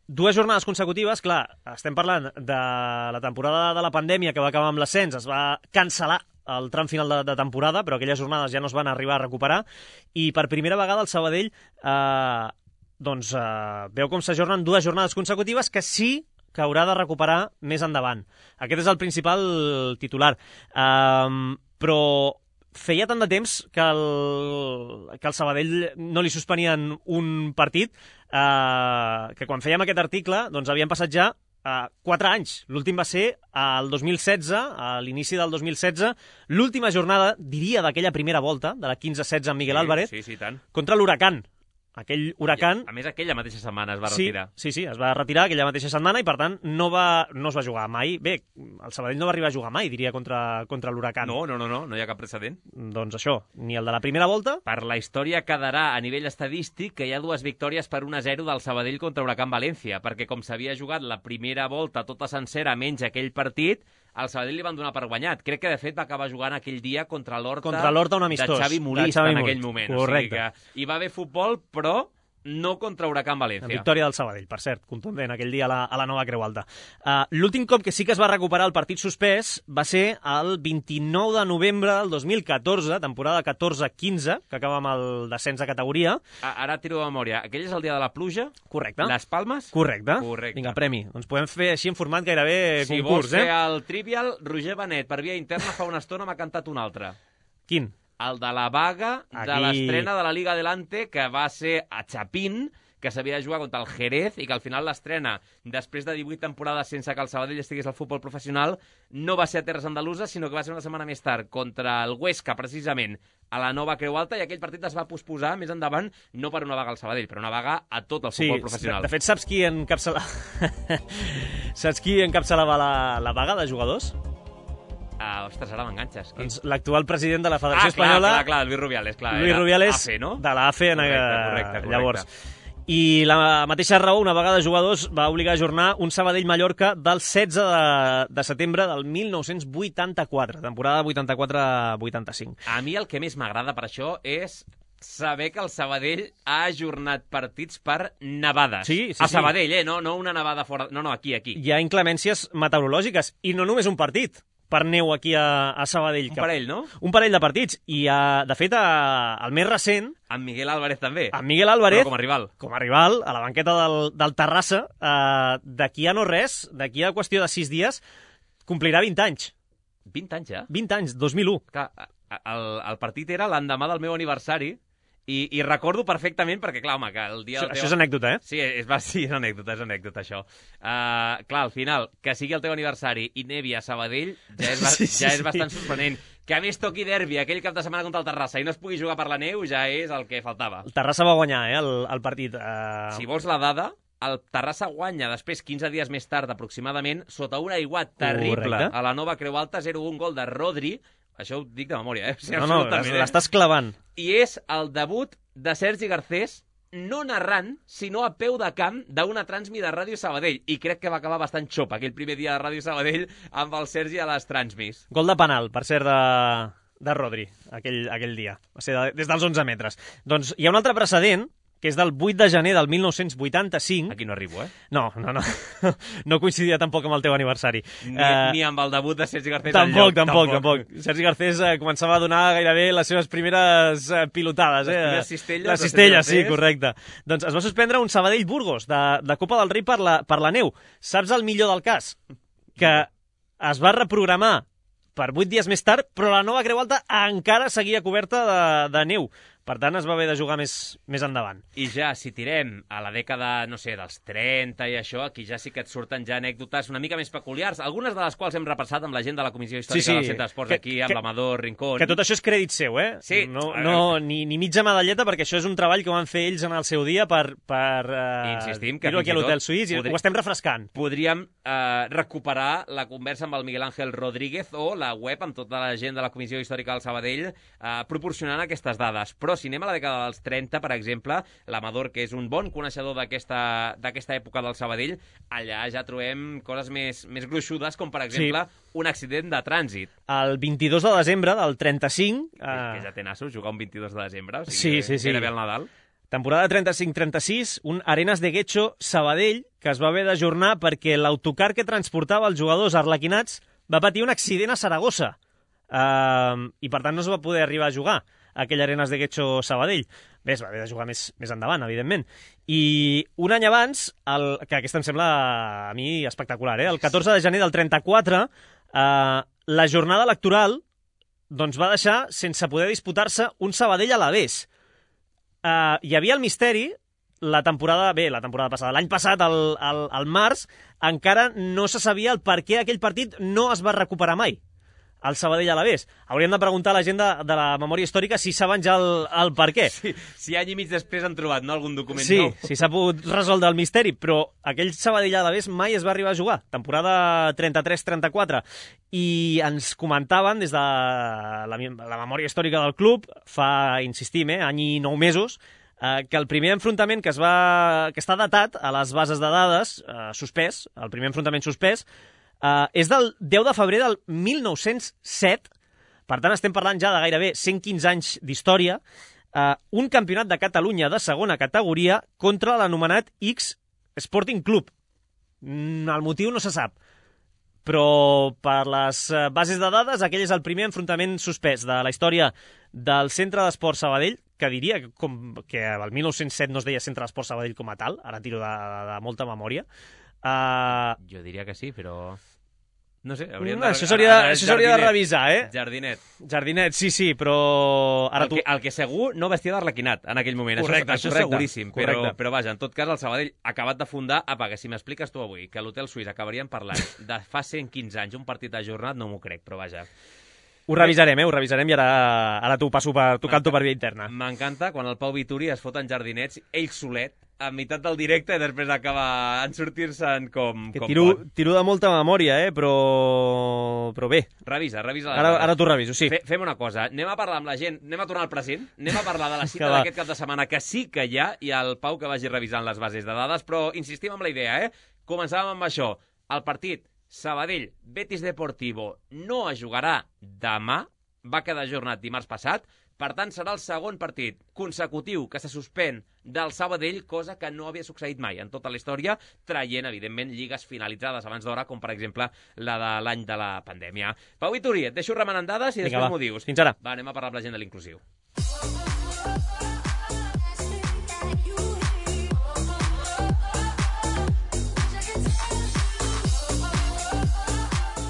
dues jornades consecutives, clar, estem parlant de la temporada de la pandèmia que va acabar amb l'ascens, es va cancel·lar el tram final de, de temporada, però aquelles jornades ja no es van arribar a recuperar, i per primera vegada el Sabadell uh, doncs, uh, veu com s'ajornen dues jornades consecutives que sí que haurà de recuperar més endavant. Aquest és el principal titular. Um, però feia tant de temps que el, que el Sabadell no li suspenien un partit uh, que quan fèiem aquest article doncs havien passat ja uh, quatre anys. L'últim va ser al dos mil setze, a l'inici del dos mil setze, l'última jornada, diria, d'aquella primera volta, de la quinze setze amb Miguel sí, Álvarez, sí, sí, tant. contra l'Huracan. Aquell Huracan... A més, aquella mateixa setmana es va sí, retirar. Sí, sí, es va retirar aquella mateixa setmana i, per tant, no, va, no es va jugar mai. Bé, el Sabadell no va arribar a jugar mai, diria, contra, contra l'Huracan. No, no, no, no, no hi ha cap precedent. Doncs això, ni el de la primera volta... Per la història quedarà a nivell estadístic que hi ha dues victòries per un a zero del Sabadell contra Huracan València, perquè com s'havia jugat la primera volta tota sencera menys aquell partit, al Sabadell li van donar per guanyat. Crec que, de fet, va acabar jugant aquell dia contra l'Horta contra l'Horta, un amistós, de Xavi Molist en aquell moment. Correcte. O sigui que hi va haver futbol, però no contra Huracan València. La victòria del Sabadell, per cert, contundent aquell dia a la, a la nova Creu Alta. Uh, L'últim cop que sí que es va recuperar el partit suspès va ser el vint-i-nou de novembre del dos mil catorze, temporada catorze quinze, que acaba amb el descens de categoria. Ara tiro de memòria. Aquell és el dia de la pluja? Correcte. Les Palmes? Correcte. Correcte. Vinga, premi. Doncs podem fer així en format gairebé si concurs, eh? Si vols fer eh? el trivial, Roger Benet, per via interna, fa una estona m'ha cantat un altre. Quin? El de la vaga Aquí... de l'estrena de la Liga Adelante, que va ser a Chapín, que s'havia de jugar contra el Jerez i que al final l'estrena, després de divuit temporades sense que el Sabadell estigués al futbol professional, no va ser a terres andaluses, sinó que va ser una setmana més tard contra el Huesca, precisament, a la nova Creu Alta, i aquell partit es va posposar més endavant, no per una vaga al Sabadell, però una vaga a tot el futbol sí, professional. De, de fet, saps qui encapçalava, saps qui encapçalava la, la vaga de jugadors? Uh, ostres, ara m'enganxes. Doncs l'actual president de la Federació ah, clar, Espanyola... clar, clar, Luis Rubiales, clar. Luis Rubiales, A F E, no? de la A F E, correcte, correcte, correcte. llavors. I la mateixa raó, una vegada jugadors, va obligar a ajornar un Sabadell-Mallorca del setze de, de setembre del mil nou-cents vuitanta-quatre, temporada vuitanta-quatre vuitanta-cinc. A mi el que més m'agrada per això és saber que el Sabadell ha ajornat partits per nevades. Sí, sí, a sí. Sabadell, eh? No, no una nevada fora... No, no, aquí, aquí. Hi ha inclemències meteorològiques, i no només un partit per neu aquí a, a Sabadell. Un parell, no? Un parell de partits. I, uh, de fet, uh, el més recent... Amb Miguel Álvarez també. Amb Miguel Álvarez. Però com a rival. Com a rival, a la banqueta del, del Terrassa. Uh, d'aquí a no res, d'aquí a qüestió de sis dies, complirà vint anys. vint anys, ja? vint anys, dos mil u. Clar, el, el partit era l'endemà del meu aniversari, I, i recordo perfectament, perquè, clar, home, que el dia... Això, del teu... això és anècdota, eh? Sí, és, sí, és anècdota, és anècdota, això. Uh, clar, al final, que sigui el teu aniversari i nevi a Sabadell ja és, sí, sí, ja és sí. bastant sorprenent. Que a més toqui derbi aquell cap de setmana contra el Terrassa i no es pugui jugar per la neu ja és el que faltava. El Terrassa va guanyar, eh, el, el partit. Uh... Si vols la dada, el Terrassa guanya després, quinze dies més tard aproximadament, sota un aiguat terrible. Correcte. A la Nova Creu Alta, zero un gol de Rodri. Això ho dic de memòria, eh? O sigui, no, no, l'estàs clavant. I és el debut de Sergi Garcés no narrant, sinó a peu de camp d'una transmi de Ràdio Sabadell. I crec que va acabar bastant xop aquell primer dia de Ràdio Sabadell amb el Sergi a les transmis. Gol de penal, per cert, de, de Rodri, aquell, aquell dia. Va ser de, des dels onze metres. Doncs hi ha un altre precedent, que és del vuit de gener del mil nou-cents vuitanta-cinc. Aquí no arribo, eh? No, no, no. No coincidia tampoc amb el teu aniversari. Ni, uh, ni amb el debut de Sergi Garcés tampoc, enlloc. Tampoc, tampoc, tampoc. Sergi Garcés uh, començava a donar gairebé les seves primeres uh, pilotades. Les eh? primeres cistelles. Les cistelles, sí, correcte. Doncs es va suspendre un Sabadell-Burgos de, de Copa del Rei per la, per la neu. Saps el millor del cas? Que es va reprogramar per vuit dies més tard, però la Nova Creu Alta encara seguia coberta de, de neu. Per tant, es va haver de jugar més, més endavant. I ja, si tirem a la dècada, no sé, dels trenta i això, aquí ja sí que et surten ja anècdotes una mica més peculiars, algunes de les quals hem repassat amb la gent de la Comissió Històrica sí, sí. del Centre d'Esports aquí, amb l'Amador Rincón. Que tot això és crèdit seu, eh? Sí. No, no, ni, ni mitja medalleta, perquè això és un treball que van fer ells en el seu dia per, per uh, insistim que dir-ho aquí a l'Hotel Suís, i podri... ho estem refrescant. Podríem uh, recuperar la conversa amb el Miguel Ángel Rodríguez o la web amb tota la gent de la Comissió Històrica del Sabadell uh, proporcionant aquestes dades. Però si anem a la dècada dels trenta, per exemple, l'Amador, que és un bon coneixedor d'aquesta època del Sabadell, allà ja trobem coses més, més gruixudes, com per exemple sí. un accident de trànsit. El vint-i-dos de desembre del trenta-cinc... Que, uh... que ja té nassos, jugar un vint-i-dos de desembre, o sí, sigui, sí, sí. gairebé el Nadal. Temporada trenta-cinc trenta-sis, un Arenas de Guecho Sabadell, que es va haver d'ajornar perquè l'autocar que transportava els jugadors arlequinats va patir un accident a Saragossa. Uh, I per tant no es va poder arribar a jugar aquell Arenas de Guecho Sabadell. Bé, es va haver de jugar més, més endavant, evidentment. I un any abans, el, que aquesta em sembla a mi espectacular, eh? El catorze de gener del trenta-quatre, eh, la jornada electoral doncs, va deixar sense poder disputar-se un Sabadell a l'Alavés. Eh, hi havia el misteri, la temporada, bé, la temporada passada, l'any passat, al, al, al març, encara no se sabia el per què aquell partit no es va recuperar mai. El Sabadell a l'Alavés. Hauríem de preguntar a la gent de, de la memòria històrica si saben ja el, el per què. Sí, si any i mig després han trobat no, algun document sí, nou. Sí, si s'ha pogut resoldre el misteri, però aquell Sabadell a l'Alavés mai es va arribar a jugar. Temporada trenta-tres trenta-quatre. I ens comentaven des de la, la memòria històrica del club, fa, insistim, eh, any i nou mesos, eh, que el primer enfrontament que, es va, que està datat a les bases de dades, eh, suspès, el primer enfrontament suspès, Uh, és del deu de febrer del mil nou-cents set, per tant estem parlant ja de gairebé cent quinze anys d'història, uh, un campionat de Catalunya de segona categoria contra l'anomenat X Sporting Club. Mm, el motiu no se sap, però per les uh, bases de dades aquell és el primer enfrontament suspès de la història del Centre d'Esports Sabadell, que diria que, com, que el mil nou-cents set no es deia Centre d'Esports Sabadell com a tal, ara tiro de, de, de molta memòria. Uh... Jo diria que sí, però... No sé, hauríem no, de... Això s'hauria de, de revisar, eh? Jardinet. Jardinet, sí, sí, però... Ara el, que, el que segur no vestia d'arlequinat en aquell moment. Correcte, això, això correcte, seguríssim. correcte. Però, però vaja, en tot cas, el Sabadell acabat de fundar... Apa, que si m'expliques tu avui que a l'Hotel Suís acabaríem parlant de fa cent quinze anys un partit ajornat, no m'ho crec, però vaja... Ho revisarem, eh? Ho revisarem i ara, ara t'ho passo per, t'ho canto per via interna. M'encanta quan el Pau Vituri es fot en jardinets, ell solet, a meitat del directe i després acaba en sortir-se'n com, que com tiro, pot. Tiro de molta memòria, eh? Però, però bé. Revisa, revisa. Ara, ara t'ho reviso, sí. Fe, fem una cosa, anem a parlar amb la gent, anem a tornar al present, anem a parlar de la cita d'aquest cap de setmana, que sí que hi ha, i el Pau que vagi revisant les bases de dades, però insistim amb la idea, eh? Començàvem amb això. El partit Sabadell, Betis Deportivo, no es jugarà demà, va quedar ajornat dimarts passat, per tant serà el segon partit consecutiu que se suspèn del Sabadell, cosa que no havia succeït mai en tota la història, traient, evidentment, lligues finalitzades abans d'hora, com per exemple la de l'any de la pandèmia. Pau Vituri, et deixo remenant dades i Vinga, després va. m'ho dius. Fins ara. Va, anem a parlar amb la gent de l'inclusiu.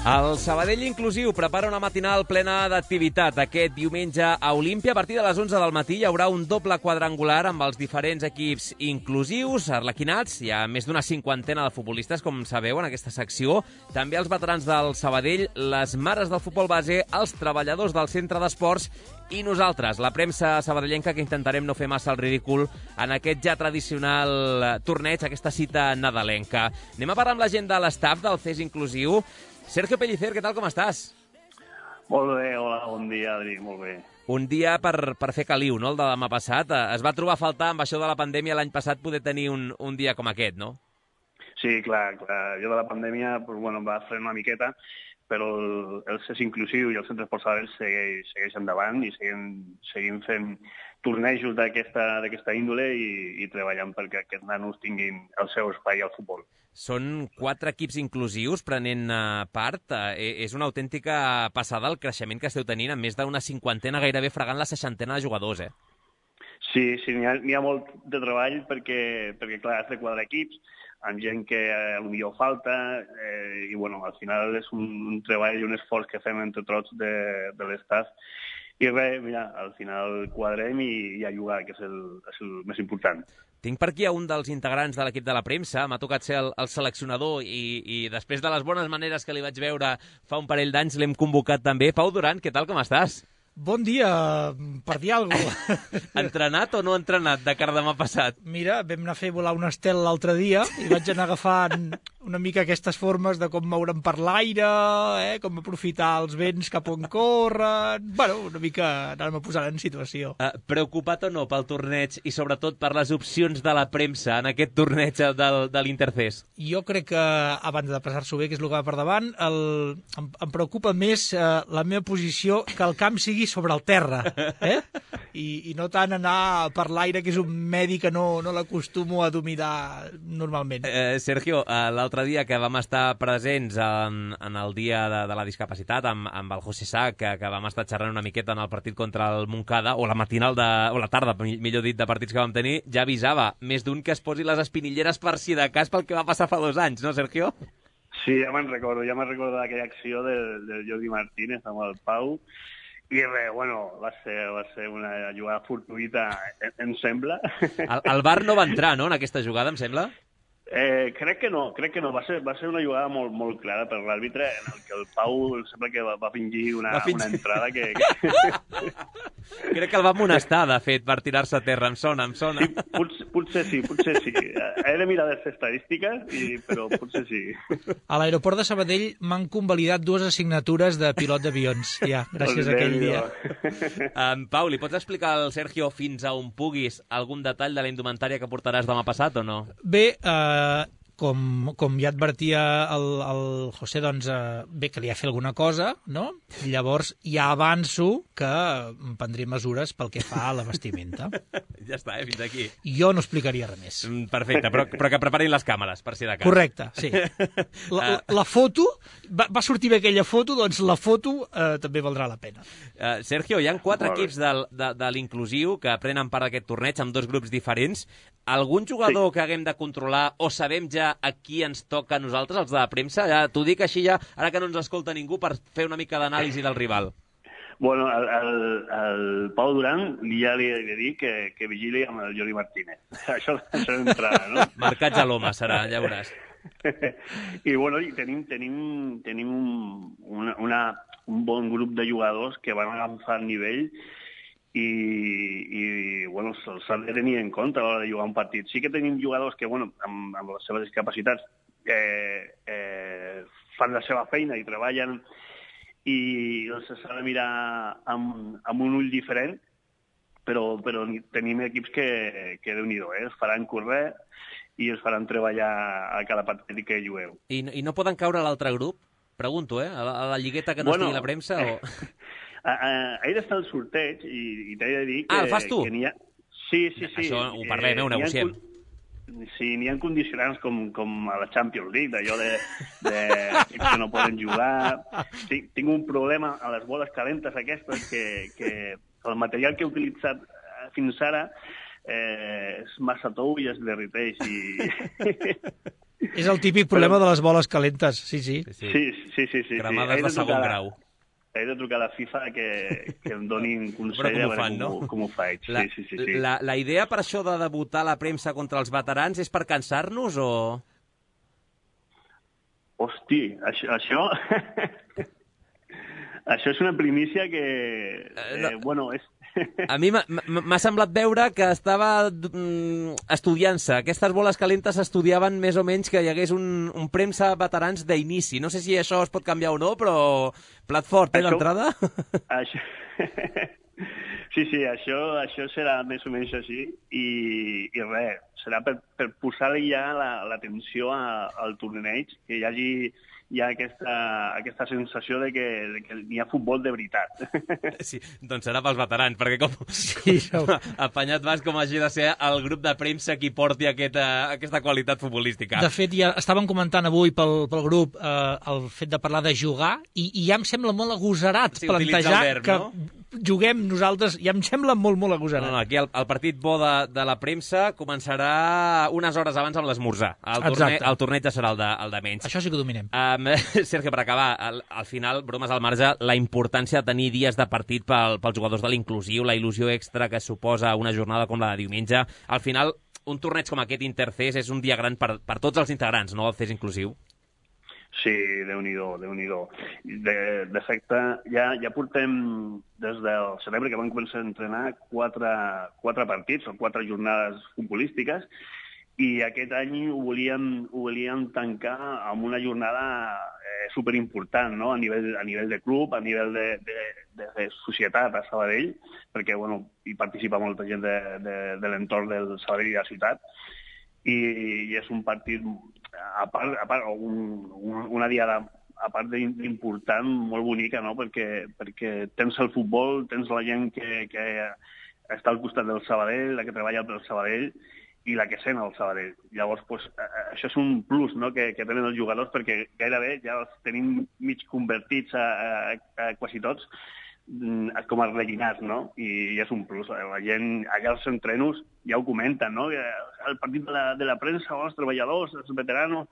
El Sabadell Inclusiu prepara una matinal plena d'activitat. Aquest diumenge a Olímpia, a partir de les onze del matí, hi haurà un doble quadrangular amb els diferents equips inclusius, arlequinats. Hi ha més d'una cinquantena de futbolistes, com sabeu, en aquesta secció. També els veterans del Sabadell, les mares del futbol base, els treballadors del centre d'esports i nosaltres, la premsa sabadellenca, que intentarem no fer massa el ridícul en aquest ja tradicional torneig, aquesta cita nadalenca. Anem a parlar amb la gent de l'estaf del C E S Inclusiu. Sergio Pellicer, què tal, com estàs? Molt bé, hola, bon dia, Adri, molt bé. Un dia per, per fer caliu, no?, el de demà passat. Es va trobar a faltar amb això de la pandèmia l'any passat poder tenir un, un dia com aquest, no? Sí, clar, clar. Jo de la pandèmia pues, bueno, em va frenar una miqueta, però el, el C E S Inclusiu i el Centre d'Esports Sabadell segueix, segueix endavant i seguim, seguim fent tornejos d'aquesta índole i, i treballant perquè aquests nanos tinguin el seu espai al futbol. Són quatre equips inclusius prenent uh, part. Uh, és una autèntica passada el creixement que esteu tenint, amb més d'una cinquantena, gairebé fregant la seixantena de jugadors, eh? Sí, sí, n'hi ha, n'hi ha molt de treball perquè, perquè clar, has de quadrar equips amb gent que eh, potser falta eh, i, bueno, al final és un, un treball i un esforç que fem entre tots de, de l'estaf. I res, mira, al final quadrem i, i a jugar, que és el, és el més important. Tinc per aquí a un dels integrants de l'equip de la premsa, m'ha tocat ser el, el seleccionador i, i després de les bones maneres que li vaig veure fa un parell d'anys l'hem convocat també. Pau Duran, què tal, com estàs? Bon dia, per dir alguna cosa. Entrenat o no entrenat de cara demà passat? Mira, vam anar a fer volar un estel l'altre dia i vaig anar agafant una mica aquestes formes de com moure'm per l'aire, eh, com aprofitar els vents cap on corren... Bueno, una mica anàvem a posar en situació. Uh, preocupat o no pel torneig i sobretot per les opcions de la premsa en aquest torneig del, de l'Intercés? Jo crec que, abans de passar-s'ho bé, que és el que va per davant, el, em, em preocupa més eh, la meva posició que el camp sigui sobre el terra, eh? I, i no tant anar per l'aire, que és un medi que no, no l'acostumo a dominar normalment. Eh, Sergio, eh, l'altre dia que vam estar presents en, en el dia de, de la discapacitat amb, amb el José Sá, que, que vam estar xerrant una miqueta en el partit contra el Montcada, o la matinal, de, o la tarda, millor dit, de partits que vam tenir, ja avisava més d'un que es posi les espinilleres per si de cas pel que va passar fa dos anys, no, Sergio? Sí, ja me'n recordo, ja me'n recordo d'aquella acció del, del Jordi Martínez amb el Pau. I res, bueno, va ser, va ser una jugada fortuïta, em, em sembla. El, el V A R no va entrar, no?, en aquesta jugada, em sembla? Eh, crec que no, crec que no. Va ser, va ser una jugada molt, molt clara per l'àrbitre, en el que el Pau em sembla que va, va fingir una, va fingir... una entrada que... que... Crec que el va amonestar, de fet, per tirar-se a terra. Em sona, em sona. Sí, potser, potser sí, potser sí. He de mirar les estadístiques, i, però potser sí. A l'aeroport de Sabadell m'han convalidat dues assignatures de pilot d'avions, ja, gràcies a aquell dia. Um, Pau, li pots explicar al Sergio fins a on puguis algun detall de la indumentària que portaràs demà passat o no? Bé, eh... Com, com ja advertia el, el José, doncs eh, bé que li ha fet alguna cosa, no? Llavors ja avanço que em prendré mesures pel que fa a la vestimenta. Ja està, eh? Fins aquí. Jo no explicaria res més. Mm, perfecte, però, però que preparin les càmeres, per si de cas. Correcte, sí. La, la, la foto, va, va sortir bé aquella foto, doncs la foto eh, també valdrà la pena. Uh, Sergio, hi ha quatre equips del, de, de l'inclusiu que prenen part d'aquest torneig amb dos grups diferents. Algun jugador sí. que haguem de controlar o sabem ja a qui ens toca a nosaltres, els de la premsa? Ja, t'ho dic així ja, ara que no ens escolta ningú, per fer una mica d'anàlisi del rival. Bueno, el, el, el Pau Duran ja li he de dir que, que vigili amb el Jordi Martínez. Això, això d'entrada, no? Marcats a l'home serà, ja veuràs. I bueno, i tenim, tenim, tenim un, una, una, un bon grup de jugadors que van agafar nivell i, i bueno, s'ha de tenir en compte a l'hora de jugar un partit. Sí que tenim jugadors que, bueno, amb, amb les seves discapacitats eh, eh, fan la seva feina i treballen i doncs s'ha de mirar amb, amb un ull diferent, però, però tenim equips que, que Déu-n'hi-do, eh? Es faran córrer i es faran treballar a cada partit que jugueu. I, i no poden caure a l'altre grup? Pregunto, eh? A la, a la lligueta que no bueno, estigui la premsa o... Ahir està el sorteig i, i t'he de dir que... Ah, el fas tu? Que n'hi ha... Sí, sí, sí. Això ho parlem, eh, ho negociem. Sí, n'hi ha condicionants com, com a la Champions League, d'allò de, de equips que no poden jugar. Tinc, tinc un problema a les boles calentes aquestes, que, que el material que he utilitzat fins ara eh, és massa tou i es derriteix. I... És el típic problema de les boles calentes, sí, sí. Sí, sí, sí. sí, sí. Cremades de segon grau. He de trucar a la FIFA que, que em donin consell a veure fan, com, no? com ho faig. La, sí, sí, sí, sí. La, la idea per això de debutar a la premsa contra els veterans és per cansar-nos o...? Hosti, això... això... això és una primícia que... Eh, no. Bueno, és... A mi m'ha semblat veure que estava mm, estudiant-se. Aquestes boles calentes estudiaven més o menys que hi hagués un, un premsa veterans d'inici. No sé si això es pot canviar o no, però plat fort, eh, d'entrada? Això... Sí, sí, això, això serà més o menys així i, i res, serà per, per posar-li ja l'atenció la, al torneig, que hi hagi hi ha aquesta, aquesta sensació de que, de que hi ha futbol de veritat. Sí, doncs serà pels veterans, perquè com, sí, com apanyat vas com hagi de ser el grup de premsa qui porti aquesta, aquesta qualitat futbolística. De fet, ja estàvem comentant avui pel, pel grup eh, el fet de parlar de jugar i, i ja em sembla molt agosarat sí, plantejar verb, que no? juguem nosaltres, ja em sembla molt, molt agosarat. No, no, aquí el, el partit bo de, de la premsa començarà unes hores abans amb l'esmorzar. El, torne, el torneig ja serà el de, el de menys. Això sí que dominem. Um, Sergio, per acabar, al, al final, bromes al marge, la importància de tenir dies de partit pel, pels jugadors de l'inclusiu, la il·lusió extra que suposa una jornada com la de diumenge. Al final, un torneig com aquest Intercés és un dia gran per, per tots els integrants, no?, el C E S inclusiu. Sí, Déu-n'hi-do, Déu-n'hi-do. De, de fet, ja, ja portem des del setembre que vam començar a entrenar quatre, quatre partits o quatre jornades futbolístiques i aquest any ho volíem, ho volíem tancar amb una jornada eh, superimportant, no? a, nivell, a nivell de club, a nivell de, de, de, de societat a Sabadell, perquè bueno, hi participa molta gent de, de, de l'entorn del Sabadell i de la ciutat, i, i és un partit, a part, a part un, un, una diada a part d'important, molt bonica, no? perquè, perquè tens el futbol, tens la gent que, que està al costat del Sabadell, la que treballa pel Sabadell, i la que sent el Sabadell. Llavors, pues, això és un plus, no?, que, que tenen els jugadors, perquè gairebé ja els tenim mig convertits a, a, a quasi tots com a rellinats, no? I, I és un plus. La gent, allà als entrenos ja ho comenten, no?, que el partit de la, de la premsa, els treballadors, els veteranos,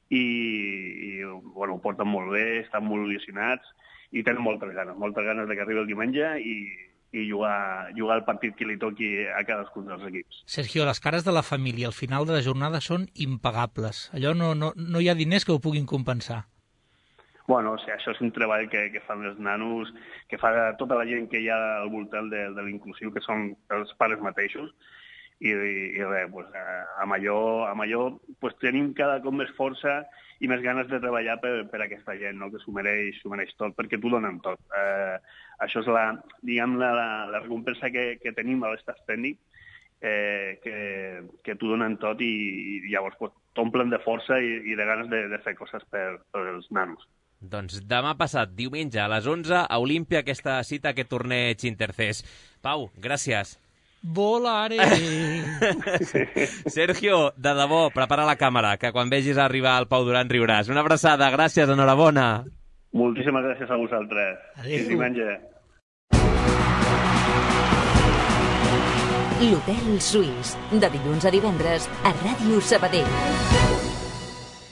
i, i bueno, ho porten molt bé, estan molt il·lusionats i tenen moltes ganes, moltes ganes de que arribi el diumenge i i jugar, jugar el partit que li toqui a cadascun dels equips. Sergio, les cares de la família al final de la jornada són impagables. Allò no, no, no hi ha diners que ho puguin compensar. Bueno, o sigui, això és un treball que, que fan els nanos, que fa tota la gent que hi ha al voltant de, de l'inclusiu, que són els pares mateixos, i, i, i res, pues, amb allò, amb allò pues, tenim cada cop més força i més ganes de treballar per, per aquesta gent, no?, que s'ho mereix, s'ho mereix tot, perquè t'ho donen tot. Eh, això és la, diguem, la, la, la recompensa que, que tenim a l'estaf tècnic, eh, que, que t'ho donen tot i, i llavors pues, t'omplen de força i, i de ganes de, de fer coses per, per els nanos. Doncs demà passat, diumenge, a les onze, a Olímpia, aquesta cita, aquest torneig Intercés. Pau, gràcies. Volare! Sergio, de debò, prepara la càmera, que quan vegis arribar el Pau Duran riuràs. Una abraçada, gràcies, enhorabona. Moltíssimes gràcies a vosaltres. Adéu. Fins diumenge. L'Hotel Suís, de dilluns a divendres, a Ràdio Sabadell.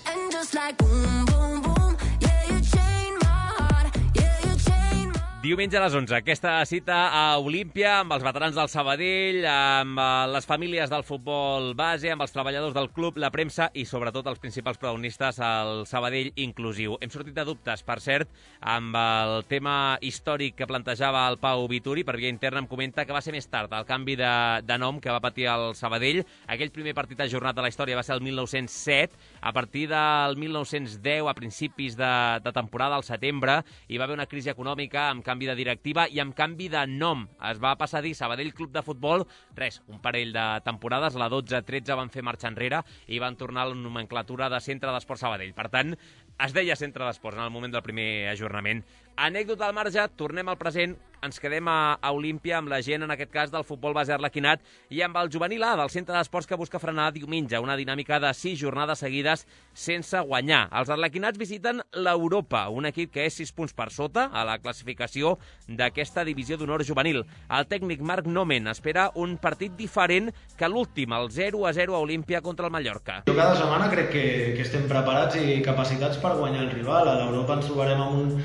And just like boom, boom, boom, yeah, you chain my heart, yeah, you chain my... Diumenge a les onze, aquesta cita a Olímpia amb els veterans del Sabadell, amb les famílies del futbol base, amb els treballadors del club, la premsa i sobretot els principals protagonistes al Sabadell inclusiu. Hem sortit de dubtes, per cert, amb el tema històric que plantejava el Pau Vituri. Per via interna em comenta que va ser més tard el canvi de, de nom que va patir el Sabadell. Aquell primer partit ajornat de la història va ser el mil nou-cents set. A partir del mil nou-cents deu, a principis de, de temporada, al setembre, hi va haver una crisi econòmica amb canvi de directiva i amb canvi de nom. Es va passar a dir Sabadell Club de Futbol. Res, un parell de temporades, la dotze tretze van fer marxa enrere i van tornar a la nomenclatura de Centre d'Esport Sabadell. Per tant, Es deia Centre d'Esports en el moment del primer ajornament. Anècdota al marge, tornem al present, ens quedem a, a Olímpia amb la gent, en aquest cas, del futbol base arlequinat i amb el juvenil A del Centre d'Esports que busca frenar diumenge una dinàmica de sis jornades seguides sense guanyar. Els arlequinats visiten l'Europa, un equip que és sis punts per sota a la classificació d'aquesta divisió d'honor juvenil. El tècnic Marc Nomen espera un partit diferent que l'últim, el zero a zero a Olímpia contra el Mallorca. Jo cada setmana crec que, que estem preparats i capacitats per guanyar el rival. A l'Europa ens trobarem amb un